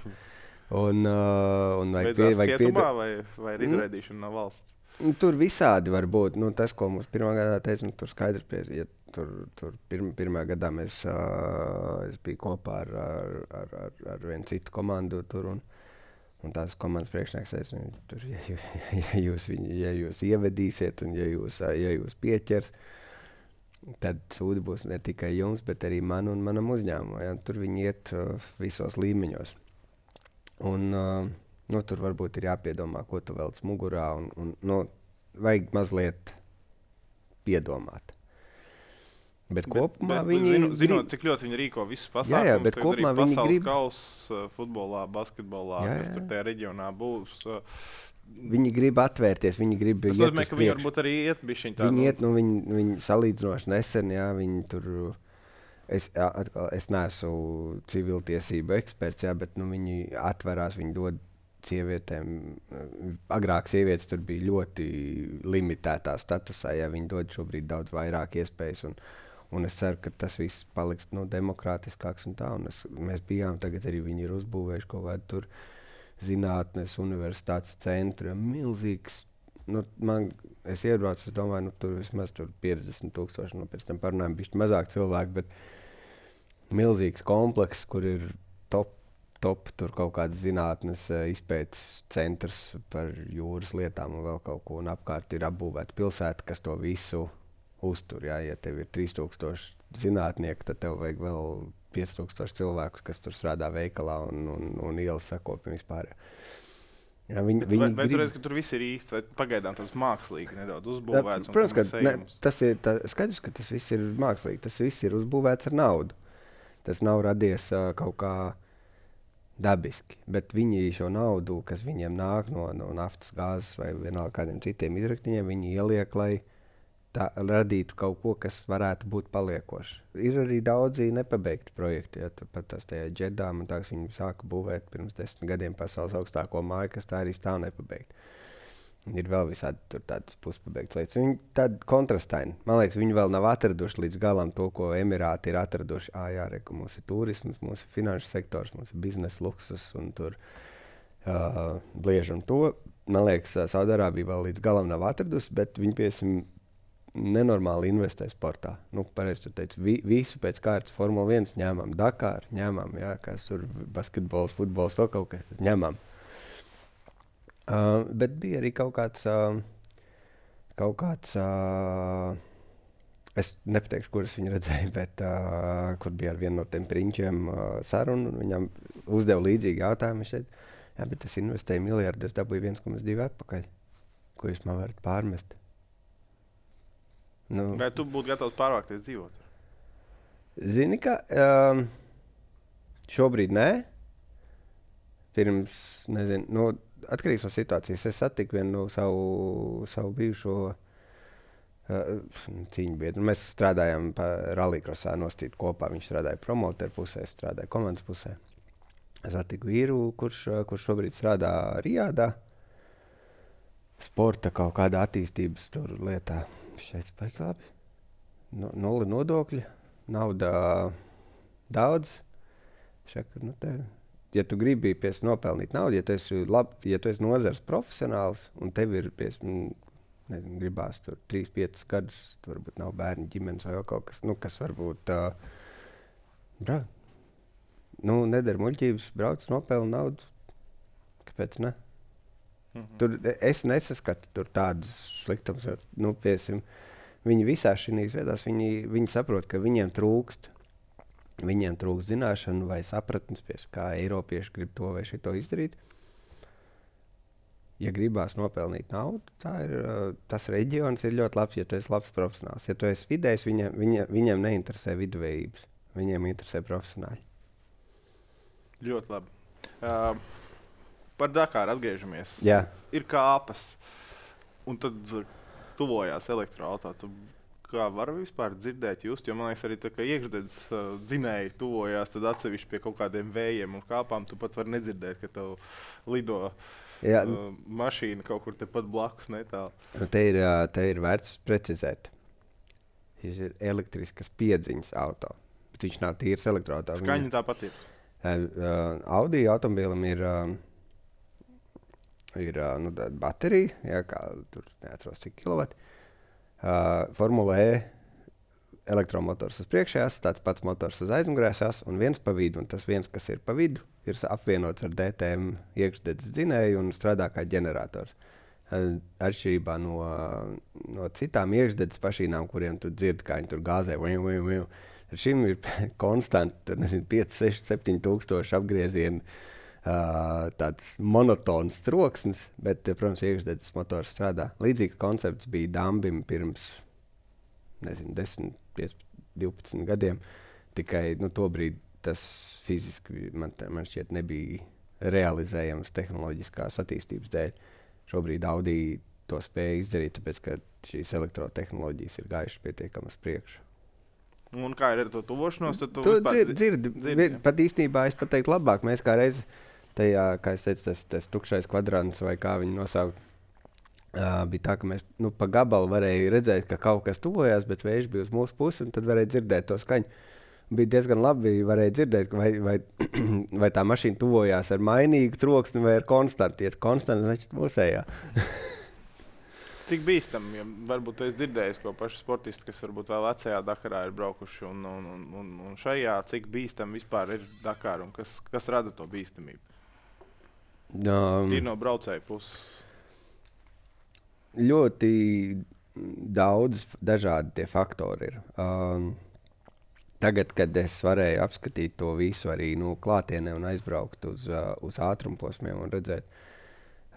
[SPEAKER 1] Un, uh, un vajag pie, vajag
[SPEAKER 2] cietumā piedom... vai, vai ir izraidīšana mm? no valsts?
[SPEAKER 1] Tur visādi var būt. Nu, tas, ko mums pirmā gadā teica, nu, tur skaidrs, pie, ja tur, tur pirma, pirmā gadā mēs, uh, es biju kopā ar, ar, ar, ar, ar vienu citu komandu tur, un, un tās komandas priekšnieks teica, nu, tur, ja, ja, jūs viņu, ja jūs ievedīsiet un ja jūs, ja jūs pieķers, tad sūdi būs ne tikai jums, bet arī man un manam uzņēmumam. Ja? Tur viņi iet uh, visos līmeņos. Un, uh, nu, tur varbūt ir jāpiedomā, ko tu velc mugurā, un, un nu, vajag mazliet piedomāt. Bet, bet kopumā bet, viņi...
[SPEAKER 2] Zinu, zinot, cik ļoti viņi rīko visus pasākumus,
[SPEAKER 1] jā, jā, bet kopumā viņi grib...
[SPEAKER 2] Pasaules kauss futbolā, basketbolā, jā, jā. Kas tur tajā reģionā būs... Uh,
[SPEAKER 1] Viņi grib atvērties, viņi grib
[SPEAKER 2] iet uz priekšu. Tas nozīmē, ka viņi varbūt arī iet bišķiņ tā.
[SPEAKER 1] Viņi iet, nu, viņi, viņi salīdzinoši nesen, jā, viņi tur, es, atkal, es neesmu civiltiesību eksperts, jā, bet, nu, viņi atverās, viņi dod sievietēm, agrāk sievietes tur bija ļoti limitētā statusā, jā, viņi dod šobrīd daudz vairāk iespējas, un, un es ceru, ka tas viss paliks, nu, demokrātiskāks un tā, un es, mēs bijām, tagad arī viņi ir uzbūvējuši kaut kādu tur, zinātnes universitātes centru, milzīgs, nu, man, es iebraucu, es domāju, nu, tur vismaz tur piecdesmit tūkstoši, nu, pēc tam parunājam bišķi mazāk cilvēku, bet milzīgs komplekss, kur ir top, top, tur kaut kāds zinātnes izpētes centrs par jūras lietām un vēl kaut ko, un apkārt ir apbūvēta pilsēta, kas to visu uztur, jā, ja tev ir trīs tūkstoši zinātnieki, tad tev vajag vēl pieci tūkstoši cilvēkus, kas tur strādā veikalā un, un, un ielas sakopim vispār. Jā, viņi,
[SPEAKER 2] Bet,
[SPEAKER 1] viņi
[SPEAKER 2] vai vai
[SPEAKER 1] grib...
[SPEAKER 2] tu redzi, ka tur viss ir īsti, vai pagaidām tas mākslīgi nedaudz uzbūvēts?
[SPEAKER 1] Jā, protams, ka ne, tas ir tā, skaidrs, ka tas viss ir mākslīgi. Tas viss ir uzbūvēts ar naudu. Tas nav radies uh, kaut kā dabiski. Bet viņi šo naudu, kas viņiem nāk no, no naftas, gāzes vai vienalga kādiem citiem izraktiņiem, viņi ieliek, lai tā radītu kaut ko, kas varētu būt paliekoši. Ir arī daudzi nepabeigti projekti, ja pat tās tajā Džedā, man tā, kas viņi sāka būvēt pirms desmit gadiem pasaules augstāko māju, kas tā arī stāv nepabeigti. Ir vēl visādi tur tādas puspabeigtas lietas. Viņi tādi kontrastaini. Man liekas, viņi vēl nav atraduši līdz galam to, ko Emirāti ir atraduši. Ā, jā, re, ka mums ir turisms, mums ir finanšu sektors, mums ir biznesa luksus un tur uh, bliežam to. Man liekas, Saudarābija vēl līdz galam nav atradusi, bet viņi, piesim, nenormāli investē sportā. Nu, pareizi tu teici, vi, visu pēc kārtas Formula viens ņemam, Dakar ņemam, jā, kas tur basketbols, futbols, vēl kaut kas ņemam. Uh, bet bija arī kaut kāds, uh, kaut kāds uh, es nepateikšu, kur es viņu redzēju, bet uh, kur bija ar vienu no tiem prinčiem uh, sarunu, un viņam uzdeva līdzīgi jautājumu. Viņš teica, jā, bet es investēju miljardu, es dabūju viens komats divi atpakaļ. Ko jūs man varat pārmest? Nu,
[SPEAKER 2] vai tu būtu gatavs pārvākties dzīvot?
[SPEAKER 1] Zini, ka um, šobrīd nē. Pirms, nezinu, nu, atkarīgs no situācijas. Es satiku vienu no savu, savu bijušo uh, cīņu biedru. Mēs strādājām rallycrossā nostīt kopā. Viņš strādāja promoteru pusē, es strādāju komandas pusē. Es satiku vīru, kurš, kurš šobrīd strādā Rijādā. Sporta kaut kādā attīstības tur lietā. Šeit baigi labi. No, nulli nodokļi, nauda daudz. Šaka, nu te, ja tu gribi pies nopelnīt naudu, ja tu esi, lab, ja tu esi nozars profesionāls un tev ir pies, nezinu, gribās tur trīs piecus gadus, tu varbūt nav bērni ģimenes vai kaut kas, nu, kas varbūt uh, bra, nu, nedara muļķības, brauc, nopelna naudu. Kāpēc ne? Mm-hmm. Tur, es nesaskatu tur tādus sliktumus. Nu, piesim, viņi visās šīs vietās viņi, viņi saprot, ka viņiem trūkst, viņiem trūkst zināšanu vai sapratnes, pies, kā Eiropieši grib to vai šito izdarīt. Ja gribās nopelnīt naudu, tā ir, tas reģions ir ļoti labs, ja tu esi labs profesionāls. Ja tu esi vidējs, viņiem, viņiem, viņiem neinteresē viduvējības. Viņiem interesē profesionāļi.
[SPEAKER 2] Ļoti labi. Uh... Par Dakaru atgriežamies.
[SPEAKER 1] Jā.
[SPEAKER 2] Ir kāpas, un tad tuvojās elektroautorāta. Kā var vispār dzirdēt, just? Jo man liekas, arī tā, ka iekšdedzes uh, dzinēji tuvojās, tad atsevišķi pie kaut kādiem vējiem un kāpām tu pat vari nedzirdēt, ka tev lido uh, mašīna kaut kur tepat blakus netālu.
[SPEAKER 1] Te ir, te ir vērts precizēt. Šis ir elektriskas piedziņas auto, bet viņš nav tīrs elektroautorāts.
[SPEAKER 2] Skaņa tāpat ir.
[SPEAKER 1] Uh, Audi automobilim ir... Uh, ir nu, baterija, jā, kā tur neatceros cik kilovati. Uh, Formula E elektromotors uz priekšējās, tāds pats motors uz aizmugurējās un viens pa vidu. Un tas viens, kas ir pa vidu, ir apvienots ar D T M iekšdedzes dzinēju un strādā kā ģenerators. Uh, atšķirībā no, no citām iekšdedzes mašīnām, kuriem tu dzirdi, kā viņi tur gāzē. Viu, viu, viu. Ar šim ir konstanti pieci, seši, septiņi tūkstoši apgriezieni. Uh, tāds monotons troksnis, bet, protams, iekšdedzes motors strādā. Līdzīgs koncepts bija Dambim pirms, nezinu, desmit, piecpadsmit, divpadsmit gadiem. Tikai, nu, tobrīd tas fiziski man, man šķiet nebija realizējams tehnoloģiskās attīstības dēļ. Šobrīd Audi to spēja izdarīt, tāpēc, ka šīs elektrotehnoloģijas ir gājušas pietiekami uz priekšu.
[SPEAKER 2] Un kā ir ar to tuvošanos? Tu,
[SPEAKER 1] tu dzirdi, dzirdi. dzirdi pat īstenībā es pateiktu labāk. Mēs kā reizi tajā, kā es teicu, tas, tas tukšais kvadrants vai kā viņi nosaukt, uh, bija tā, ka mēs nu, pa gabalu varēja redzēt, ka kaut kas tuvojās, bet vējš bija uz mūsu pusi un tad varēja dzirdēt to skaņu. Bija diezgan labi, varēja dzirdēt, vai, vai, vai tā mašīna tuvojās ar mainīgu troksni vai ar konstantu. Ja konstantu, значит, mūsējā.
[SPEAKER 2] Cik bīstami, ja varbūt tu esi dzirdējis ko paši sportisti, kas varbūt vēl vecajā Dakarā ir braukuši un, un, un, un šajā, cik bīstami vispār ir Dakar un kas, kas rada to bīstamību?
[SPEAKER 1] Um,
[SPEAKER 2] ir no braucēju puses.
[SPEAKER 1] Ļoti daudz dažādi tie faktori ir. Um, tagad, kad es varēju apskatīt to visu arī nu, klātienē un aizbraukt uz, uh, uz ātrumposmiem un redzēt,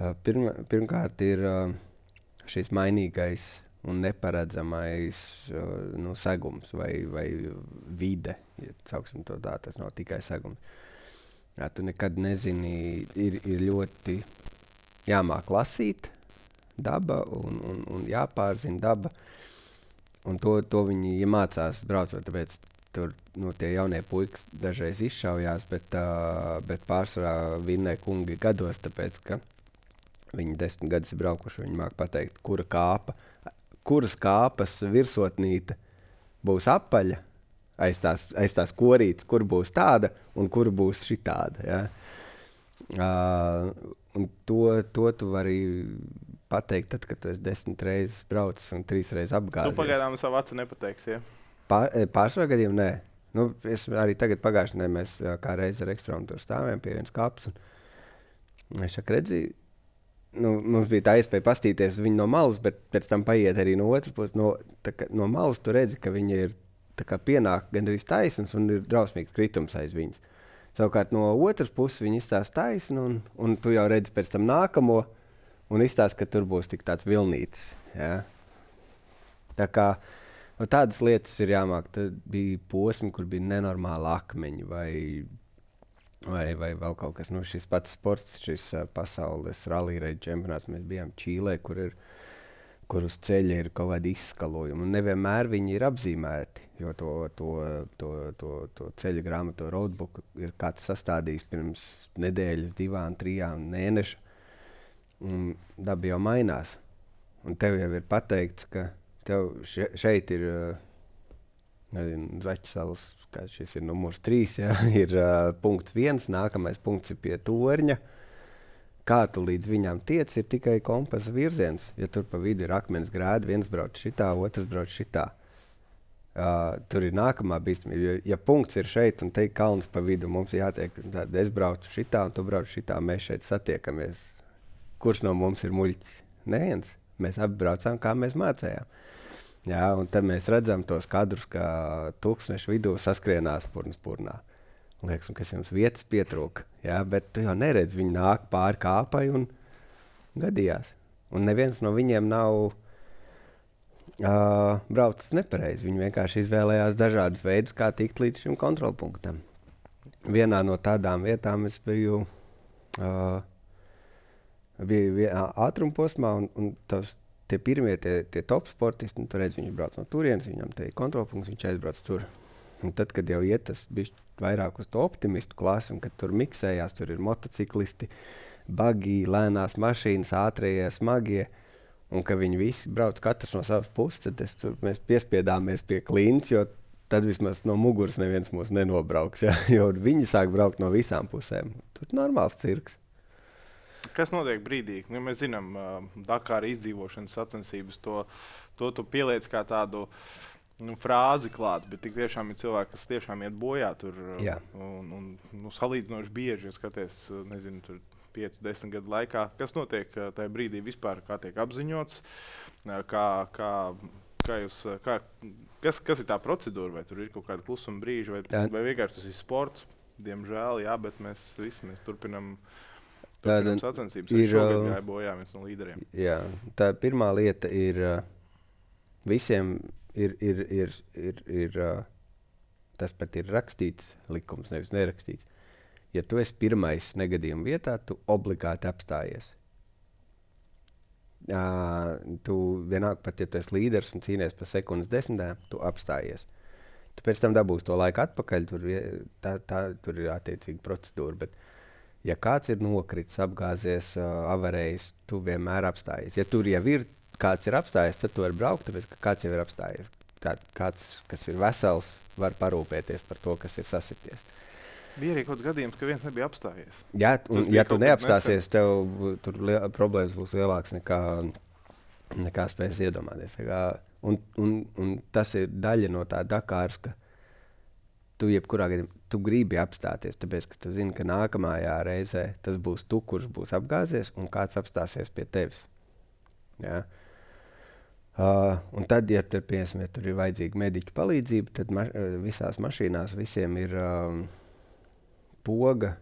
[SPEAKER 1] uh, pirma, pirmkārt ir... Uh, šis mainīgais un neparedzamais uh, nu, segums vai, vai vide, ja sauksim to tā, tas nav tikai segums. Jā, tu nekad nezini, ir, ir ļoti jāmāk lasīt daba un, un, un jāpārzina daba. Un to, to viņi ja mācās braucot, tāpēc tur nu, tie jaunie puikas dažreiz izšaujās, bet, uh, bet pārsvarā vinnē kungi gados, tāpēc, ka viņi desmit gadus ir braukuši, viņi māk pateikt, kura kāpa, kuras kāpas virsotnīte būs apaļa aiz tās, aiz tās korītes, kur būs tāda un kur būs šitāda. Ja? Uh, un to, to tu vari pateikt, tad, kad tu esi desmit reizes braucis un trīs reizes apgāzies.
[SPEAKER 2] Tu pagaidām savu acu nepateiksi, ja?
[SPEAKER 1] Pār, pārsvarā gadījumā nē. Nu, es arī tagad pagājušajā nedēļā mēs kā reizi ar ekstrāmu tur stāvējām pie vienas kāpes. Es šāk redzīju, nu, mums bija tā iespēja pastīties viņu no malas, bet pēc tam paiet arī no otras puses. No, kā, no malas tu redzi, ka viņi ir kā, pienāk gandrīz taisnas un ir drausmīgs kritums aiz viņas. Savukārt no otras puses viņi izstāsta taisnu, un, un tu jau redzi pēc tam nākamo, un izstāsta, ka tur būs tik tāds vilnītis. Ja? Tā kā no tādas lietas ir jāmāk. Tad bija posmi, kur bija nenormāli akmeņi vai, vai, vai vēl kaut kas. Nu, šis pats sports, šis uh, pasaules rallija čempionāts, mēs bijām Čīlē, kur ir kur uz ceļa ir kaut kādi izskalojumi. Un nevienmēr viņi ir apzīmēti, jo to, to, to, to, to ceļa grāmatu, to roadbook ir kāds sastādījis pirms nedēļas, divām, trijām mēneša. Un daba jau mainās. Un tev jau ir pateikts, ka tev še, šeit ir nezinu, Zaķsalas, kā šis ir numurs trīs, ja, ir uh, punkts viens, nākamais punkts ir pie torņa. Kā tu līdz viņām tiec, ir tikai kompasa virziens. Ja tur pa vidu ir akmens grēda, viens brauc šitā, otrs brauc šitā. Uh, tur ir nākamā bīstamība. Ja, ja punkts ir šeit un te ir kalns pa vidu, mums jātiek, tad es braucu šitā un tu brauc šitā, mēs šeit satiekamies. Kurš no mums ir muļķis? Neviens. Mēs abi braucām, kā mēs mācējām. Jā, un tad mēs redzam tos kadrus, kā tūkstnešu vidū saskrienās purnas purnā. Liekas, un kas jums vietas pietrūka. Jā, bet tu jau neredzi, viņi nāk pāri kāpai un gadījās. Un neviens no viņiem nav uh, braucis nepareizi. Viņi vienkārši izvēlējās dažādus veidus, kā tikt līdz šim kontrolpunktam. Vienā no tādām vietām es biju, uh, biju ātrumposmā, un, un tos, tie pirmie, tie, tie top sportisti, nu, tu redz, viņi brauc no turienes, viņam te ir kontrolpunkts, viņš aizbrauc tur. Un tad, kad jau iet tas bišķi vairāk uz to optimistu klasi, un kad tur miksējās, tur ir motociklisti, bagi, lēnās mašīnas, ātrējie, smagie, un ka viņi visi brauc katrs no savas puses, tad es, tur, mēs piespiedāmies pie klints, jo tad vismaz no muguras neviens mūs nenobrauks, ja? Jo viņi sāk braukt no visām pusēm. Tur ir normāls cirks.
[SPEAKER 2] Kas notiek brīdī? Nu, mēs zinām, uh, Dakāra izdzīvošanas sacensības, to, to tu pieliec kā tādu nu, frāzi klāt, bet tik tiešām ir cilvēki, kas tiešām iet bojā tur.
[SPEAKER 1] Jā.
[SPEAKER 2] Un, un nu, salīdzinoši bieži, ja skaties, nezinu, tur pieci, desmit gadu laikā. Kas notiek tajā brīdī vispār, kā tiek apziņots, kā, kā, kā jūs, kā, kas, kas ir tā procedūra, vai tur ir kaut kāda klusuma brīža, vai, vai vienkārši tas ir sports, diemžēl, jā, bet mēs visi, mēs turpinam, turpinam sacensības. Arī šogad gāja bojā viens no līderiem.
[SPEAKER 1] Jā, tā pirmā lieta ir visiem ir, ir, ir, ir, ir tas pat ir rakstīts likums, nevis nerakstīts. Ja tu esi pirmais negadījuma vietā, tu obligāti apstājies. Uh, tu vienalga pat, ja tu esi līderis un cīnies par sekundes desmitēm, tu apstājies. Tu pēc tam dabūsi to laiku atpakaļ, tur, tā, tā, tur ir attiecīga procedūra. Bet, ja kāds ir nokritis, apgāzies, uh, avarējis, tu vienmēr apstājies. Ja tur jau ir kāds ir apstājies, tad tu vari braukt, tāpēc ka kāds jau ir apstājies. Tā, kāds, kas ir vesels, var parūpēties par to, kas ir sasities.
[SPEAKER 2] Bija arī kaut kāds gadījums, ka viens nebija apstājies.
[SPEAKER 1] Jā, un, ja tu neapstāsies, tev tur li- problēmas būs lielākas nekā, nekā spēs iedomāties. Kā, un, un, un tas ir daļa no tā Dakāras, ka tu jebkurā gadījumā tu gribi apstāties, tāpēc, ka tu zini, ka nākamajā reizē tas būs tu, kurš būs apgāzies, un kāds apstāsies pie tevis. Jā. Uh, un tad, ja tur, piemēram, ja tur ir vajadzīga mediķu palīdzība, tad ma- visās mašīnās visiem ir um, poga,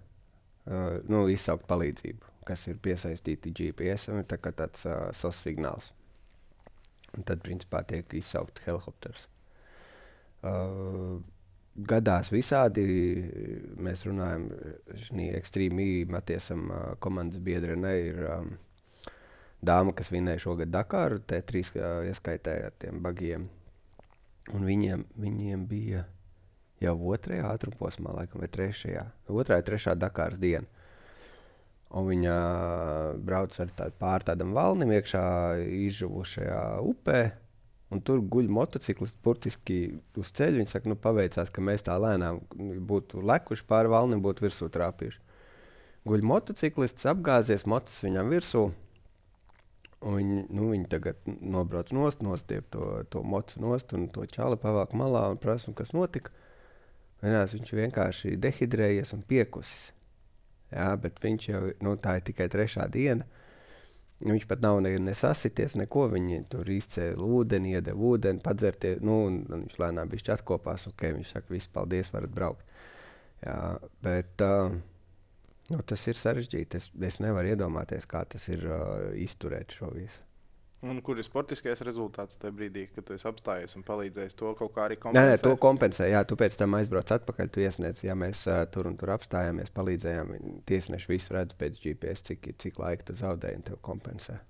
[SPEAKER 1] uh, nu, izsaukt palīdzību, kas ir piesaistīti G P S, un tā kā tāds uh, S O S signāls. Un tad, principā, tiek izsaukt helikopters. Uh, gadās visādi, mēs runājam, šī ekstrīmī Matiesam uh, komandas biedri ne ir um, dāma, kas vinēja šogad Dakāru, T trīs uh, ieskaitēja ar tiem bagiem. Un viņiem, viņiem bija jau otrajā ātrumposmā, laikam, vai trešajā. Otrā ir trešā Dakāras diena. Un viņa brauc ar tādu pār tādam valnim iekšā izžuvušajā upē. Un tur guļ motociklisti burtiski uz ceļu. Viņi saka, nu paveicās, ka mēs tā lēnām būtu lekuši pāri valnim, būtu virsū trāpījuši. Guļ motociklists, apgāzies, mocis viņam virsū. Un viņi, nu, viņi tagad nobrauc nost, nostiep to, to mocu nost un to čali pavāk malā un prasa, kas notika. Vienās viņš vienkārši dehidrējies un piekusis. Jā, bet viņš jau, nu, tā ir tikai trešā diena. Viņš pat nav ne, nesasities, neko. Viņi tur izcēla ūdeni, iedeva ūdeni, padzertie, nu, un, un viņš lēnām bišķi atkopās. Ok, viņš saka, viss, paldies, varat braukt. Jā, bet uh, nu, tas ir sarežģīti. Es, es nevaru iedomāties, kā tas ir uh, izturēt šo visu.
[SPEAKER 2] Un kur ir sportiskais rezultāts tajā brīdī, kad tu esi apstājies un palīdzējis to kaut kā arī
[SPEAKER 1] Nē,
[SPEAKER 2] kompensēt?
[SPEAKER 1] nē, to kompensē. Jā, tu pēc tam aizbrauc atpakaļ, tu iesniedz, ja mēs uh, tur un tur apstājāmies, palīdzējām. Tiesneši visu redz pēc G P S, cik, cik laika tu zaudēji un tev kompensē.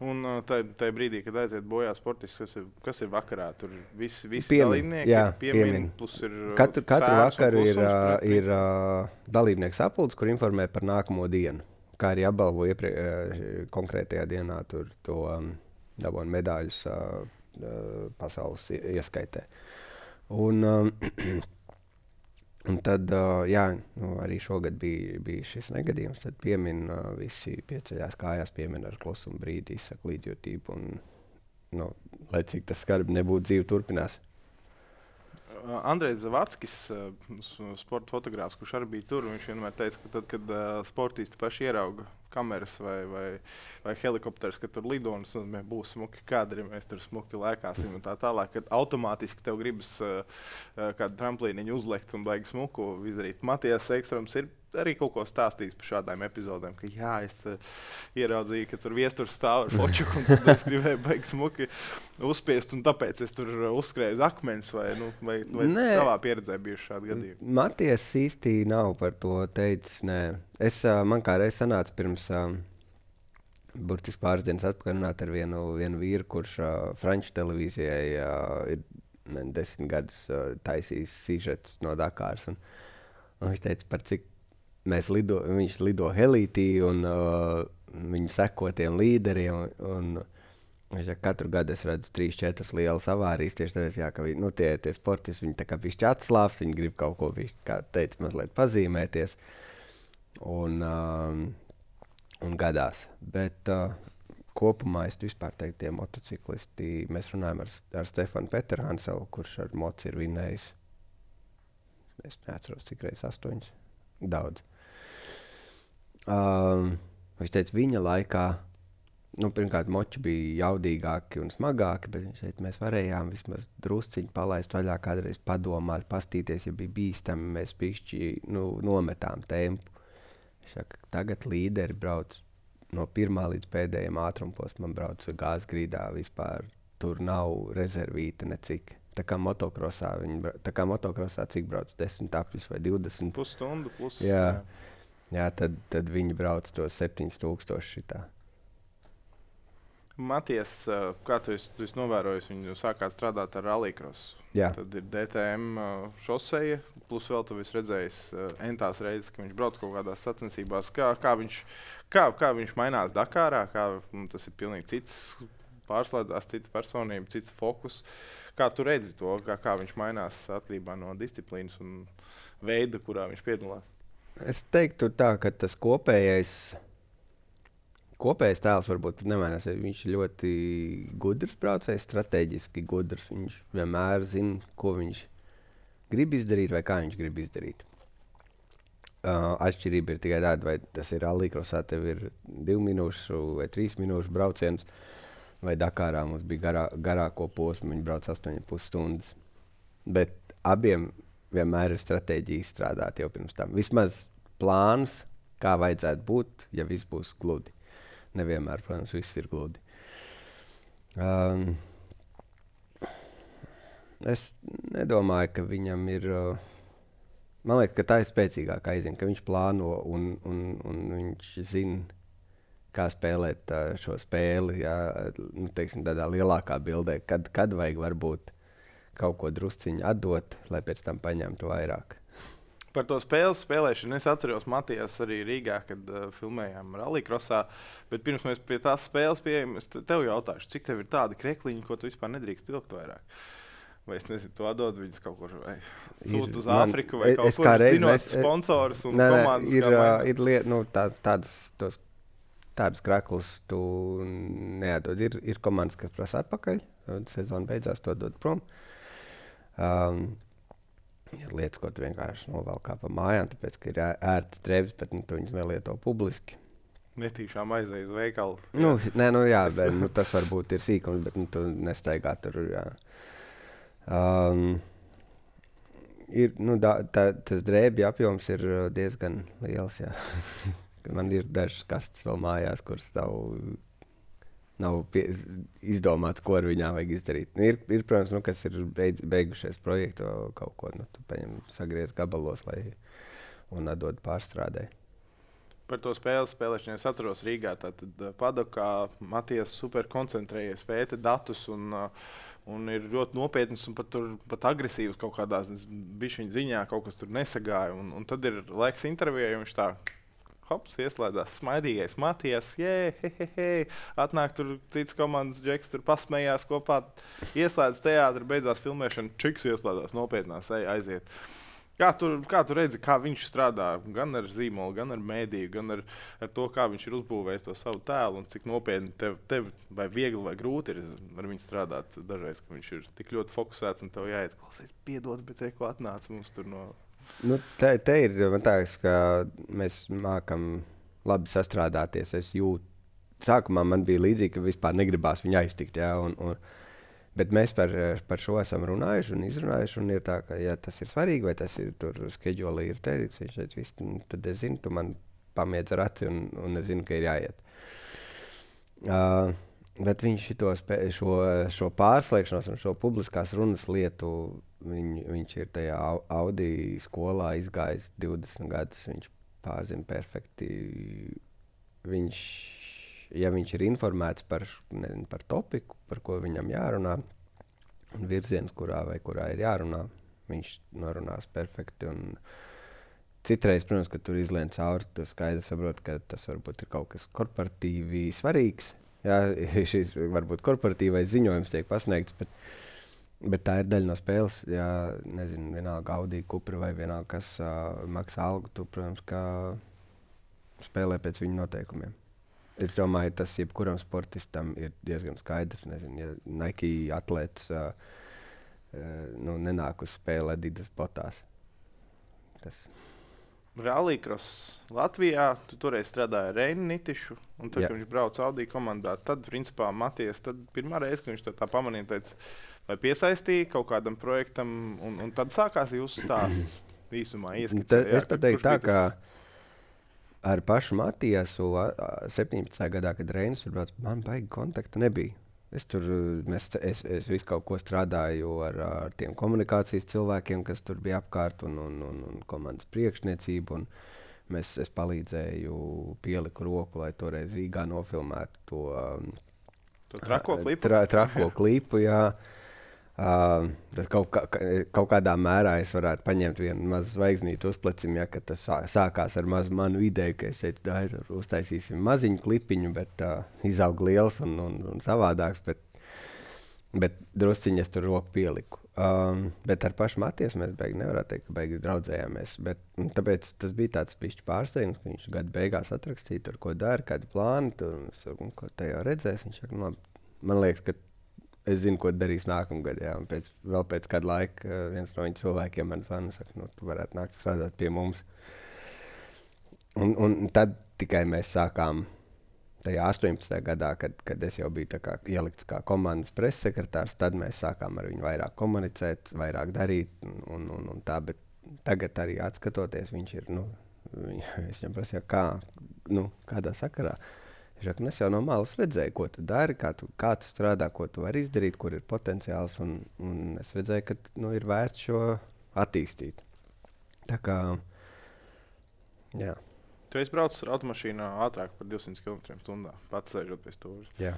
[SPEAKER 2] Un uh, tajā brīdī, kad aiziet bojā sportists, kas ir, kas ir vakarā? Tur visi, visi
[SPEAKER 1] Piemin,
[SPEAKER 2] dalībnieki
[SPEAKER 1] jā,
[SPEAKER 2] piemin,
[SPEAKER 1] piemin.
[SPEAKER 2] plus ir uh,
[SPEAKER 1] Katru, katru
[SPEAKER 2] sēns un
[SPEAKER 1] vakaru ir,
[SPEAKER 2] klusums
[SPEAKER 1] uh,
[SPEAKER 2] pret
[SPEAKER 1] ir uh, dalībnieks sapulcs, kur informē par nākamo dienu. Kā arī apbalvo ieprie, uh, konkrētajā dienā tur to um, dabūnu medaļus uh, uh, pasaules ieskaitē. Un, um, un tad, uh, jā, nu, arī šogad bija, bija šis negadījums. Tad piemin uh, visi pieceļās kājās, piemin ar klusumu brīdi, izsaka līdzjūtību. Un, nu, lai cik tas skarbi nebūtu, dzīve turpinās.
[SPEAKER 2] Uh, Andrejs Zavackis, uh, sporta fotogrāfs, kurš arī bija tur, viņš vienmēr teica, ka tad, kad uh, sportisti paši ierauga kameras vai, vai, vai helikopters, kad tur lido un tas būs smuki kadri, mēs tur smuki lēkāsim un tā tālāk, kad automātiski tev gribas uh, uh, kādu tramplīniņu uzlekt un baigi smuku izdarīt. Matijas Ekstrams ir arī kaut ko stāstījis par šādām epizodēm, ka jā, es uh, ieraudzīju, ka tur viesturs stāv ar fočuku un tad es gribēju baigi smuki uzspiest un tāpēc es tur uzskrēju uz akmeņus vai, nu, vai, vai tavā pieredzē bijuši šādi gadījumi?
[SPEAKER 1] Matijas īsti nav par to teicis, nē. Es, uh, man kā reiz sanāca pirms uh, burtiski pāris dienas atpakaļ runāt ar vienu, vienu vīru, kurš uh, Franču televīzijai uh, ir ne, desmit gadus uh, taisījis sižetus no Dakāras. Un, un viņš teica, par cik mēs lido, viņš lido helītī un uh, viņu sekotiem līderiem. Un, un viņš, ja katru gadu es redzu trīs, četras lielas avārijas, tieši tāpēc, jā, ka vi, nu, tie, tie sportisti, viņi tā kā bišķi atslāvs, viņi grib kaut ko, bišķi, kā teica, mazliet pazīmēties. Un, um, un gadās. Bet uh, kopumā es vispār teiktu, tie motociklisti, mēs runājam ar, ar Stefanu Peterhanselu, kurš ar moci ir vinējis. Es neatceros, cik reizes astoņas. Daudz. Um, viņš teica, viņa laikā, nu, pirmkārt, moči bija jaudīgāki un smagāki, bet viņš teica, mēs varējām vismaz drusciņi palaist vaļā, kādreiz padomāt, pastīties, ja bija bīstami, mēs pišķi, nu, nometām tempu. Šaka, tagad līderi brauc no pirmā līdz pēdējiem ātrumposmam, brauc gāzes grīdā vispār. Tur nav rezervīta necik. Tā kā motokrosā, viņi, tā kā motokrosā cik brauc desmit apļus vai divdesmit.
[SPEAKER 2] Pusstundu plus.
[SPEAKER 1] Jā, jā tad, tad viņi brauc tos septiņus tūkstošus šitā.
[SPEAKER 2] Matijas, kā tu esi, tu esi novērojis, viņu sākāt strādāt ar rallycrossu.
[SPEAKER 1] Jā.
[SPEAKER 2] Tad ir D T M šoseja, plus vēl tu esi redzējis entās reizes, ka viņš brauc kaut kādās sacensībās. Kā, kā, viņš, kā, kā viņš mainās Dakārā, kā nu, tas ir pilnīgi cits pārslēdzās, cita personība, cits fokus. Kā tu redzi to, kā, kā viņš mainās atkarībā no disciplīnas un veida, kurā viņš piedalās?
[SPEAKER 1] Es teiktu tā, ka tas kopējais Kopējais tēls varbūt nemainās. Viņš ir ļoti gudrs braucējs, strateģiski gudrs. Viņš vienmēr zina, ko viņš grib izdarīt vai kā viņš grib izdarīt. Uh, atšķirība ir tikai tāda, vai tas ir rallycrossā, tev ir divu minūšu vai trīs minūšu brauciens, vai Dakārā mums bija garā, garāko posmu, viņi brauc astoņas pus stundas. Bet abiem vienmēr ir stratēģija izstrādāt jau pirms tam. Vismaz plāns, kā vajadzētu būt, ja viss būs gludi. Nevienmēr, protams, viss ir gludi. Um, es nedomāju, ka viņam ir... Uh, man liekas, ka tā ir spēcīgākā aizina, ka viņš plāno un, un, un viņš zina, kā spēlēt uh, šo spēli, jā, nu, teiksim, tādā lielākā bildē, kad, kad vajag varbūt kaut ko drusciņu atdot, lai pēc tam paņemtu vairāk.
[SPEAKER 2] Par to spēles spēlēšanu es atceros Matijas arī Rīgā, kad uh, filmējām rallycrossā, bet pirms mēs pie tās spēles pieejam, es tev jautāšu, cik tev ir tādi krekliņi, ko tu vispār nedrīkst vilkt vairāk? Vai es nezinu, tu atdod viņus kaut kur, vai sūt uz Āfriku, vai kaut kur, zinot sponsorus un
[SPEAKER 1] ne,
[SPEAKER 2] komandas?
[SPEAKER 1] Ir, uh, ir liet, nu, tā, tādas tos tādus kraklus tu neatdod. Ir, ir komandas, kas prasa atpakaļ, sezona beidzās, to dod prom. Um, ir lietas, ko tu vienkārši novelk kā pa mājām, tāpēc, ka ir ērts drēbes, bet nu, tu viņas nelieto publiski.
[SPEAKER 2] Netīšām aiziet uz veikalu.
[SPEAKER 1] Nu, nē, nu jā, bet nu, tas varbūt ir sīkums, bet nu, tu nestaigā tur, jā. Um, ir, nu, da, tā, tas drēbju apjoms ir diezgan liels, jā. Man ir dažas kastes vēl mājās, kuras nav, nav pie, izdomāts, ko ar viņām vajag izdarīt. Ir, ir protams, nu, kas ir beidz, beigušies projektu vēl kaut ko, nu, tu paņem sagriez gabalos, lai un atdod pārstrādē.
[SPEAKER 2] Par to spēles spēlēšanu es atceros Rīgā. Tātad Padokā Matijas super koncentrējies, pēta datus un, un ir ļoti nopietns un pat, tur, pat agresīvs kaut kādās bišķiņa ziņā, kaut kas tur nesagāja. Un, un tad ir laiks intervijai, un viņš tā hops, ieslēdzās smaidīgais Matijas, jē, he, he, he, atnāk tur cits komandas džeks, tur pasmējās kopā, ieslēdz teātri, beidzās filmēšana, čiks ieslēdzās nopietnās, ej, aiziet. Kā tu, kā tu redzi, kā viņš strādā gan ar zīmolu, gan ar mēdīju, gan ar, ar to, kā viņš ir uzbūvējis to savu tēlu un cik nopietni tev, tev vai viegli vai grūti ir ar viņu strādāt dažreiz, ka viņš ir tik ļoti fokusēts un tev jāiet, klausies, piedod, bet te, ko atnāca mums tur no...
[SPEAKER 1] Nu, te, te ir, man tāks, ka mēs mākam labi sastrādāties. Es jūtu, sākumā man bija līdzīgi, ka vispār negribās viņu aiztikt, jā, un, un, bet mēs par, par šo esam runājuši un izrunājuši, un ir tā, ka, ja tas ir svarīgi, vai tas ir tur skedžolī ir teikts, viņš teica, viss, tad es zinu, tu man pamiedz ar aci, un, un es zinu, ka ir jāiet. Uh, bet viņš šito spē, šo, šo pārslēgšanos un šo publiskās runas lietu, viņ, viņš ir tajā Audi skolā izgājis divdesmit gadus, viņš pārzina perfekti. Viņš, ja viņš ir informēts par, nezinu, par topiku, par ko viņam jārunā, un virziens, kurā vai kurā ir jārunā, viņš norunās perfekti. Un citreiz, protams, kad tur izlien cauri, tu skaidri saproti, ka tas varbūt ir kaut kas korporatīvi svarīgs. Jā, šis varbūt korporatīvais ziņojums tiek pasniegts, bet, bet tā ir daļa no spēles. Jā, nezinu, vienalga Audi, Cupra vai vienalga, kas uh, maksā algu, tu, protams, kā spēlē pēc viņu noteikumiem. Es domāju, tas jebkuram sportistam ir diezgan skaidrs. Nezinu, ja Nike atlēts uh, uh, nu, nenāk uz spēli Adidas botās. Tas...
[SPEAKER 2] Rallycross Latvijā, tu toreiz strādāji ar Reini Nitišu, un tad, kad viņš brauca Audi komandā, tad, principā, Matijas, tad pirmā reize, kad viņš tā, tā pamanīja, teica, vai piesaistīja kaut kādam projektam, un, un tad sākās jūsu stāsts īsumā ieskicēt.
[SPEAKER 1] Es pateiktu tā, ka ar pašu Matijasu septiņpadsmitajā gadā, kad Reinis tur brauc, man baigi kontakta nebija. Es tur mēs, es, es visu kaut ko strādāju ar, ar tiem komunikācijas cilvēkiem, kas tur bija apkārt, un, un, un, un komandas priekšniecību. Un mēs, es palīdzēju, pieliku roku, lai toreiz Rīgā nofilmētu to,
[SPEAKER 2] to trako klipu.
[SPEAKER 1] Tra, trako klipu, jā. Uh, kaut, kā, kaut kādā mērā es varētu paņemt vienu mazu zvaigznīti uz plecim, ja, kad tas sākās ar mazu manu ideju, ka es teicu, da, uztaisīsim maziņu klipiņu, bet uh, izaug liels un, un, un savādāks, bet, bet drusciņi es tur roku pieliku. Um, bet ar pašu Matiesu mēs beigi nevarētu teikt, ka beigi draudzējāmies, bet tāpēc tas bija tāds pišķi pārsteigums, ka viņš gadu beigās atrakstīja tur, ko dara, kādi plāni, tur, un ko te jau redzēs. Viņš saka, nu, man liekas, ka es zinu, ko darīs nākamgad, jā, un pēc, vēl pēc kāda laika viens no viņa cilvēkiem man zvana un saka, nu, tu varētu nākt strādāt pie mums. Un, un tad tikai mēs sākām tajā astoņpadsmitajā gadā, kad, kad es jau biju tā kā ielikts kā komandas pressekretārs, tad mēs sākām ar viņu vairāk komunicēt, vairāk darīt un, un, un, un tā, bet tagad arī atskatoties, viņš ir, nu, viņ, es viņam prasīju, kā, nu, kādā sakarā. Žak, es jau no malas redzēju, ko tu dari, kā tu, kā tu strādā, ko tu vari izdarīt, kur ir potenciāls, un, un es redzēju, ka nu, ir vērts šo attīstīt. Tā kā, jā.
[SPEAKER 2] Tu esi braucis ar automašīnā ātrāk par divsimt kilometriem stundā, pats sēžot pie stūres.
[SPEAKER 1] Jā.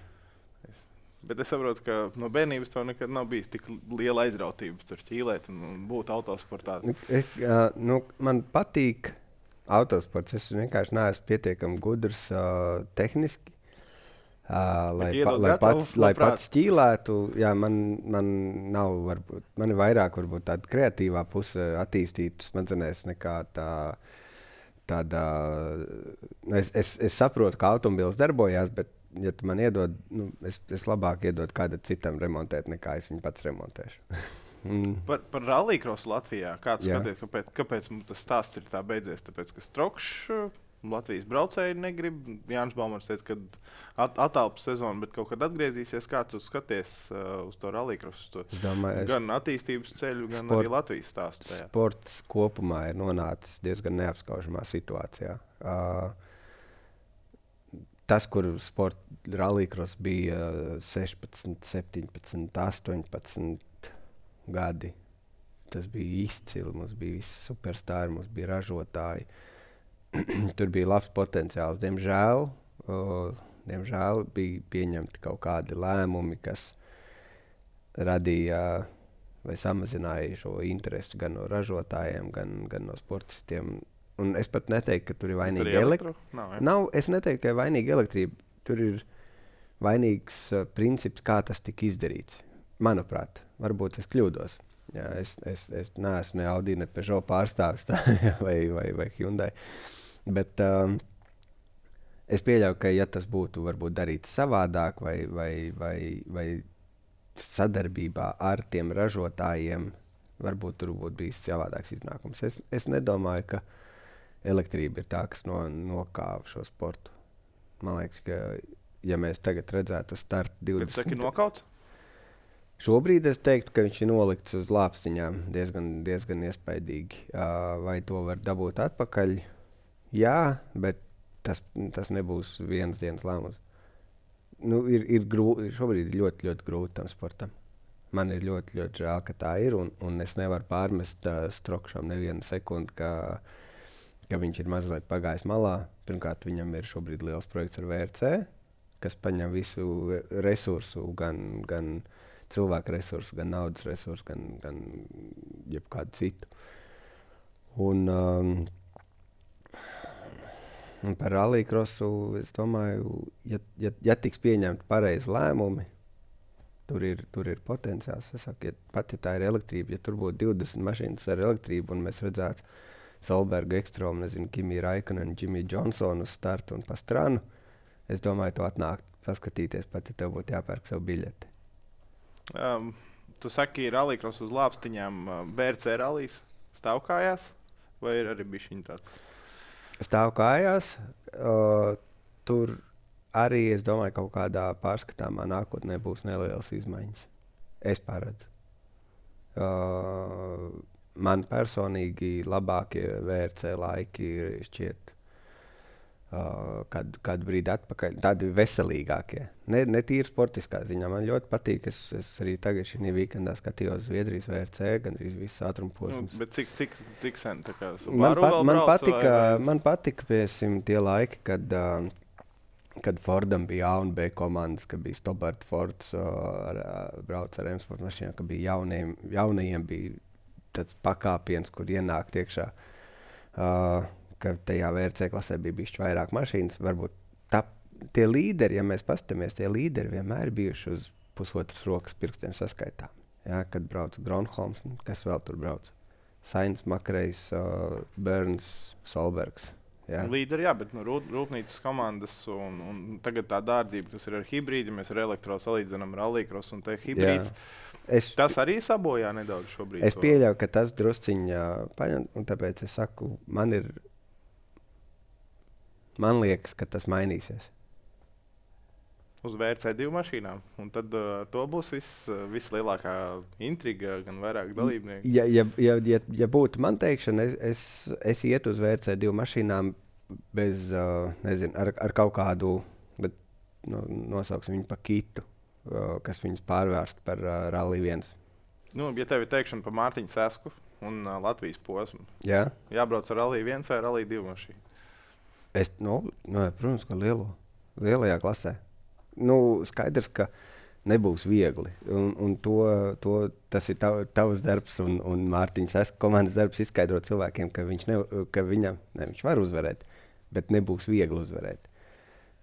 [SPEAKER 2] Es, bet es saprotu, ka no bērnības tev nekad nav bijis tik liela aizrautība tur ķīlēt un, un būt autosportā.
[SPEAKER 1] Es, uh, nu, man patīk autosports. Es vienkārši neesmu pietiekami gudrs uh, tehniski, uh, lai, pa, lai, pats, lai pats ķīlētu. Jā, man, man nav, varbūt, man ir vairāk varbūt tāda kreatīvā puse attīstīta smadzenēs nekā tā, tāda, nu, es, es, es saprotu, kā automobīls darbojās, bet, ja tu man iedod, nu, es, es labāk iedod kādam citam remontēt, nekā es viņu pats remontēšu. mm.
[SPEAKER 2] Par, par rallycrossu Latvijā. Kāds
[SPEAKER 1] Jā.
[SPEAKER 2] skaties, kāpēc, kāpēc mums tas stāsts ir tā beidzies? Tāpēc, ka Strokšs Latvijas braucēji negrib. Jānis Balmans teica, ka at, atalpas sezonu, bet kaut kad atgriezīsies. Kā tu skaties uh, uz to rallycrossu?
[SPEAKER 1] Domāju,
[SPEAKER 2] gan attīstības ceļu, gan
[SPEAKER 1] sport,
[SPEAKER 2] arī Latvijas stāstu. Tajā.
[SPEAKER 1] Sports kopumā ir nonācis diezgan neapskaužamā situācijā. Uh, tas, kur sporta rallycross bija sešpadsmit, septiņpadsmit, astoņpadsmit gadi, tas bija izcili. Mums bija visi superstāri, mums bija ražotāji. Tur bija labs potenciāls. Diemžēl, o, diemžēl bija pieņemti kaut kādi lēmumi, kas radīja vai samazināja šo interesi gan no ražotājiem, gan, gan no sportistiem. Un es pat neteiktu, ka tur ir vainīga elektrība. Nav, Nav, es neteiktu, ka ir vainīga elektrība. Tur ir vainīgs uh, princips, kā tas tika izdarīts. Manuprāt, varbūt es kļūdos. Jā, es, es, es neesmu ne Audi, ne Peugeot pārstāvis tā, vai, vai, vai Hyundai. Bet um, es pieļauju, ka ja tas būtu varbūt darīts savādāk vai, vai, vai, vai sadarbībā ar tiem ražotājiem, varbūt tur būtu bijis savādāks iznākums. Es, es nedomāju, ka elektrība ir tā, kas no, nokāva šo sportu. Man liekas, ka ja mēs tagad redzētu startu divdesmit...
[SPEAKER 2] Kad saki nokauts?
[SPEAKER 1] Šobrīd es teiktu, ka viņš ir nolikts uz lāpstiņām diezgan, diezgan iespaidīgi. Uh, vai to var dabūt atpakaļ? Jā, bet tas, tas nebūs vienas dienas lēmums. Nu, ir, ir grū, šobrīd ir ļoti, ļoti grūti tam sportam. Man ir ļoti, ļoti žēl, ka tā ir, un, un es nevaru pārmest uh, Strokšam nevienu sekundi, ka, ka viņš ir mazliet pagājis malā. Pirmkārt, viņam ir šobrīd liels projekts ar V R C, kas paņem visu resursu, gan, gan cilvēku resursu, gan naudas resursu, gan, gan jebkādu citu. Un, um, un par rallycrossu es domāju, ja, ja, ja tiks pieņemti pareizi lēmumi, tur ir, tur ir potenciāls. Es saku, ja, pat ja tā ir elektrība, ja tur būtu divdesmit mašīnas ar elektrību un mēs redzētu Solbergu, Ekstrom, nezinu, Kimi Raikkonen, Jimmy Johnsonu uz startu un Pastranu, es domāju, tu atnākt paskatīties, pat ja tev būtu jāpērk savu biļeti.
[SPEAKER 2] Um, tu saki, rallycross uz lāpstiņām, B R C rallijas stāv kājās, vai ir arī bišķiņ tāds?
[SPEAKER 1] Stāv kājās. Uh, tur arī, es domāju, kaut kādā pārskatāmā nākotnē būs nelielas izmaiņas. Es paredzu. Uh, man personīgi labākie V R C laiki ir šķiet Uh, kādu, kādu brīdi atpakaļ, tādi veselīgākie. Ne, ne tīri sportiskā ziņā. Man ļoti patīk, es, es arī tagad šī weekendā skatījos Zviedrijas V R C, gan arī visas ātrumposmas.
[SPEAKER 2] Nu, bet cik, cik, cik sen? Tā kā
[SPEAKER 1] man, pat, man,
[SPEAKER 2] brauc,
[SPEAKER 1] patika,
[SPEAKER 2] vai, vai...
[SPEAKER 1] man patika, piesim, tie laiki, kad, uh, kad Fordam bija A un B komandas, kad bija Stobart Fords, uh, ar, uh, brauc ar M-sport mašīnām, ka bija jaunajiem, jaunajiem bija tāds pakāpiens, kur ienākt iekšā. Uh, ka tajā V R C klasē bija bišķi vairāk mašīnas. Varbūt tā, tie līderi, ja mēs paskatāmies, tie līderi vienmēr bijuši uz pusotras rokas pirkstiem saskaitām. Ja, kad brauc Gronholms, kas vēl tur brauc? Sainz, Makrejs, uh, Burns, Solbergs. Ja.
[SPEAKER 2] Līderi, jā, bet nu, rūp, rūpnīcas komandas un, un tagad tā dārdzība, kas ir ar hibrīdi, mēs ar elektro salīdzinām rallycross un te hibrīds. Es, tas arī sabojā nedaudz šobrīd.
[SPEAKER 1] Es pieļauju, ka tas drusciņā paņem, un tāpēc es saku, man ir Man liekas, ka tas mainīsies.
[SPEAKER 2] Uz V R C divu mašīnām. Un tad uh, to būs viss, uh, vislielākā intriga, gan vairāk dalībnieku.
[SPEAKER 1] Ja, ja, ja, ja, ja būtu man teikšana, es, es, es ietu uz V R C divu mašīnām bez, uh, nezinu, ar, ar kaut kādu, bet no, nosauksim viņu pa kitu, uh, kas viņus pārvērst par uh, Rally viens.
[SPEAKER 2] Nu, ja tev ir teikšana par Mārtiņu Sesku un uh, Latvijas posmu,
[SPEAKER 1] Jā.
[SPEAKER 2] Jābrauc ar Rally viens vai Rally divu mašīnu?
[SPEAKER 1] Es, nu, nu, protams, ka lielo, lielajā klasē. Nu, skaidrs, ka nebūs viegli. Un, un to, to, tas ir tav, tavs darbs un, un Mārtiņas Seska komandas darbs izskaidrot cilvēkiem, ka viņš, ne, ka viņam, ne, viņš var uzvarēt, bet nebūs viegli uzvarēt.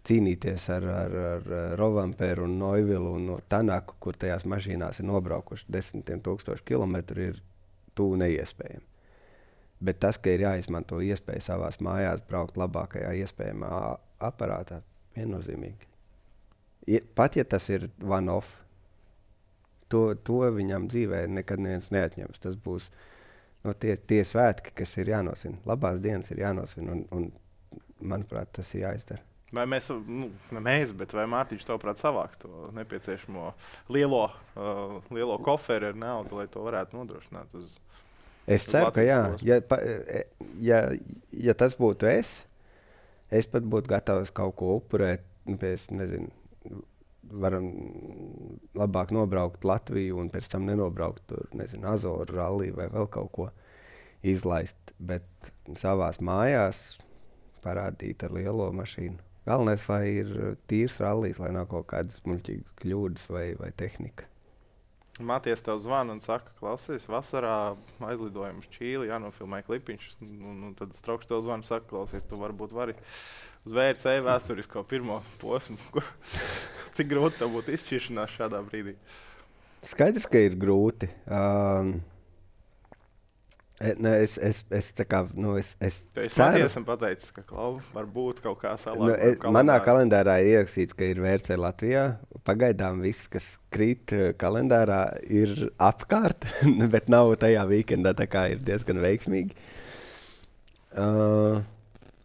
[SPEAKER 1] Cīnīties ar, ar, ar Rovamperu un Noivilu un no Tanaku, kur tajās mašīnās ir nobraukuši desmitiem tūkstoši kilometru, ir tuvu neiespējami. Bet tas, ka ir jāizmanto iespēja savās mājās braukt labākajā iespējamā aparātā, viennozīmīgi. I, pat ja tas ir one-off, to, to viņam dzīvē nekad neviens neatņems. Tas būs no tie, tie svētki, kas ir jānosvin. Labās dienas ir jānosvin, un, un manuprāt, tas ir jāizdara.
[SPEAKER 2] Vai mēs, nu, ne mēs, bet vai Mārtiņš tavuprāt savāks to nepieciešamo lielo, uh, lielo koferi ar naudu, lai to varētu nodrošināt uz
[SPEAKER 1] Es ceru, ka jā. Ja, pa, ja, ja tas būtu es, es pat būtu gatavs kaut ko upurēt. Nu, pēc, nezinu, varam labāk nobraukt Latviju un pēc tam nenobraukt tur, nezinu, Azoru rallī vai vēl kaut ko izlaist. Bet savās mājās parādīt ar lielo mašīnu. Galvenais, lai ir tīrs rallijs, lai nav kaut kādas muļķīgas kļūdas vai, vai tehnika.
[SPEAKER 2] Māties tev zvana un saka, klausies, vasarā aizlidojam uz Čīli, jānofilmē klipiņš. Un, un tad Straukšs tev zvana un saka, klausies, tu varbūt vari uz V R C vēsturisko pirmo posmu. Cik grūti tev būtu izšķiršanās šādā brīdī?
[SPEAKER 1] Skaidrs, ka ir grūti. Um, Ne, es, es, es, kā, nu, es, es
[SPEAKER 2] ceru, ka es esmu pateicis, ka klau, varbūt kaut kā salāta.
[SPEAKER 1] Nu, es, manā kalendārā ir ierakstīts, ka ir V R C Latvijā. Pagaidām viss, kas krīt kalendārā, ir apkārt, bet nav tajā weekendā, tā kā ir diezgan veiksmīgi. Uh,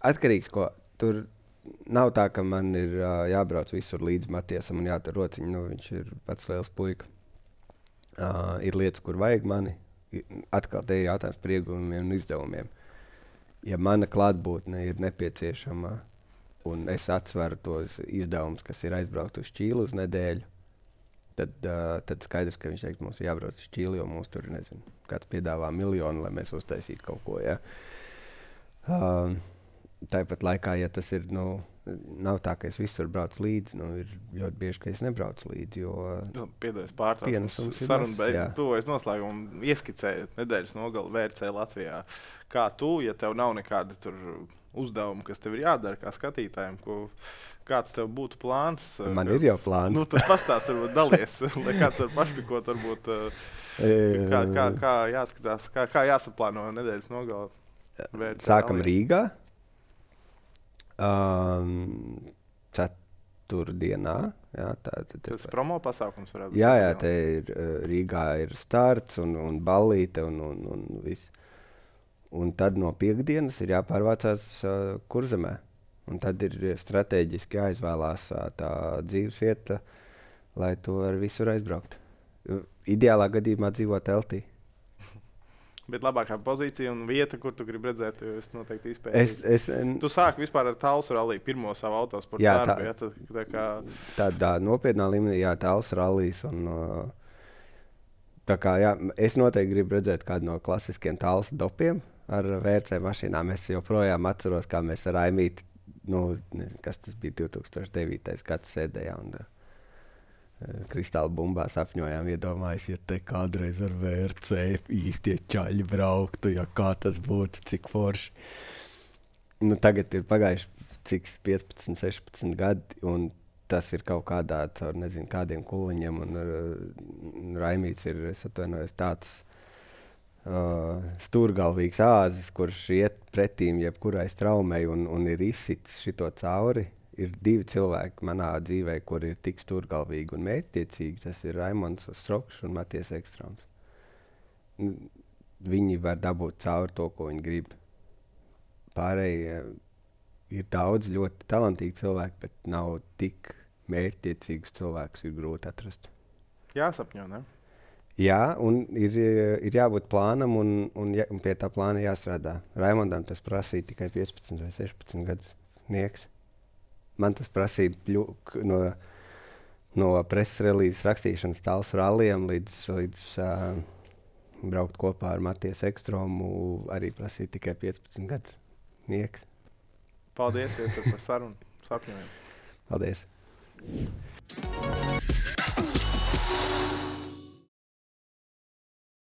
[SPEAKER 1] atkarīgs, ko tur nav tā, ka man ir uh, jābrauc visur līdz Matiesam un jātur rociņu. Nu, viņš ir pats liels puika. Uh, ir lietas, kur vajag mani. Atkal te ir jautājums par ieguvumiem un izdevumiem. Ja mana klātbūtne ir nepieciešama un es atsveru tos izdevumus, kas ir aizbraukt uz Čīlu uz nedēļu, tad, uh, tad skaidrs, ka viņš teiks, mums ir jābrauc uz Čīli, jo mums tur, nezinu, kāds piedāvā miljonu, lai mēs uztaisītu kaut ko. Ja? Uh, tāpat laikā, ja tas ir, nu, nav tā, ka es visur braucu līdzi, nu, ir ļoti bieži, ka es nebraucu līdzi, jo
[SPEAKER 2] piedodies pārtraukums. Saruna beidz, tuvojas noslēgumu, ieskicējot nedēļas nogali V R C Latvijā. Kā tu, ja tev nav nekādi tur uzdevumi, kas tev ir jādara kā skatītājiem, ko, kāds tev būtu plāns?
[SPEAKER 1] Man
[SPEAKER 2] kas,
[SPEAKER 1] ir jau plāns.
[SPEAKER 2] Nu, tad pastāst, varbūt dalies, lai kāds var pašpikot, varbūt, kā, kā, kā jāskatās, kā, kā jāsaplāno nedēļas nogali.
[SPEAKER 1] Sākam Latvijā. Rīgā. Um, ceturtdienā. Jā, tā, tā, tā,
[SPEAKER 2] tas promo pasākums varētu būt.
[SPEAKER 1] Jā, jā, te ir Rīgā ir starts un, un ballīte un, un, un viss. Un tad no piekdienas ir jāpārvācās uh, Kurzemē. Un tad ir strateģiski jāizvēlās uh, tā dzīves vieta, lai to ar visur aizbraukt. Ideālā gadījumā dzīvot teltī.
[SPEAKER 2] Bet labākā pozīcija un vieta, kur tu gribi redzēt, jo es noteikti izpētīju.
[SPEAKER 1] Es, es,
[SPEAKER 2] tu sāki vispār ar Talsu ralliju, pirmo savu autosportu
[SPEAKER 1] jā,
[SPEAKER 2] darbu.
[SPEAKER 1] Tā,
[SPEAKER 2] jā, tad, tā kā...
[SPEAKER 1] tādā nopietnā līmenī, jā, Talsu rallijas. Un, tā kā, jā, es noteikti gribu redzēt kādu no klasiskiem Talsu dopiem ar V R C mašīnām. Es joprojām atceros, kā mēs ar Aimīti, nu, kas tas bija divi tūkstoši devītais gads sēdējām. Un, Kristāla bumbā sapņojām, iedomājas, ja te kādreiz ar V R C īstie čaļi brauktu, ja kā tas būtu, cik forši. Nu, tagad ir pagājuši cik piecpadsmit, sešpadsmit gadi, un tas ir kaut kādā, caur nezinu, kādiem kuliņiem, un uh, Raimīts ir, es atvainojos, tāds uh, stūrgalvīgs āzis, kurš iet pretīm jebkurai straumei un, un ir izsits šito cauri. Ir divi cilvēki manā dzīvē, kuri ir tik stūrgalvīgi un mērķtiecīgi. Tas ir Raimonds Straukšs un Matijas Ekstrāms. Viņi var dabūt cauri to, ko viņi grib. Pārējie ir daudz ļoti talantīgi cilvēki, bet nav tik mērķtiecīgus cilvēkus ir grūti atrast.
[SPEAKER 2] Jāsapņo, ne?
[SPEAKER 1] Jā, un ir, ir jābūt plānam un, un, ja, un pie tā plāna jāstrādā. Raimondam tas prasīja tikai piecpadsmit vai sešpadsmit gadus nieks. Man tas prasīja pļuk, no, no preses relīzes rakstīšanas Talsu rallijam līdz, līdz uh, braukt kopā ar Matijas Ekstrāmu arī prasīja tikai piecpadsmit gadus nieks.
[SPEAKER 2] Paldies par sarunu. Sapņojam.
[SPEAKER 1] Paldies.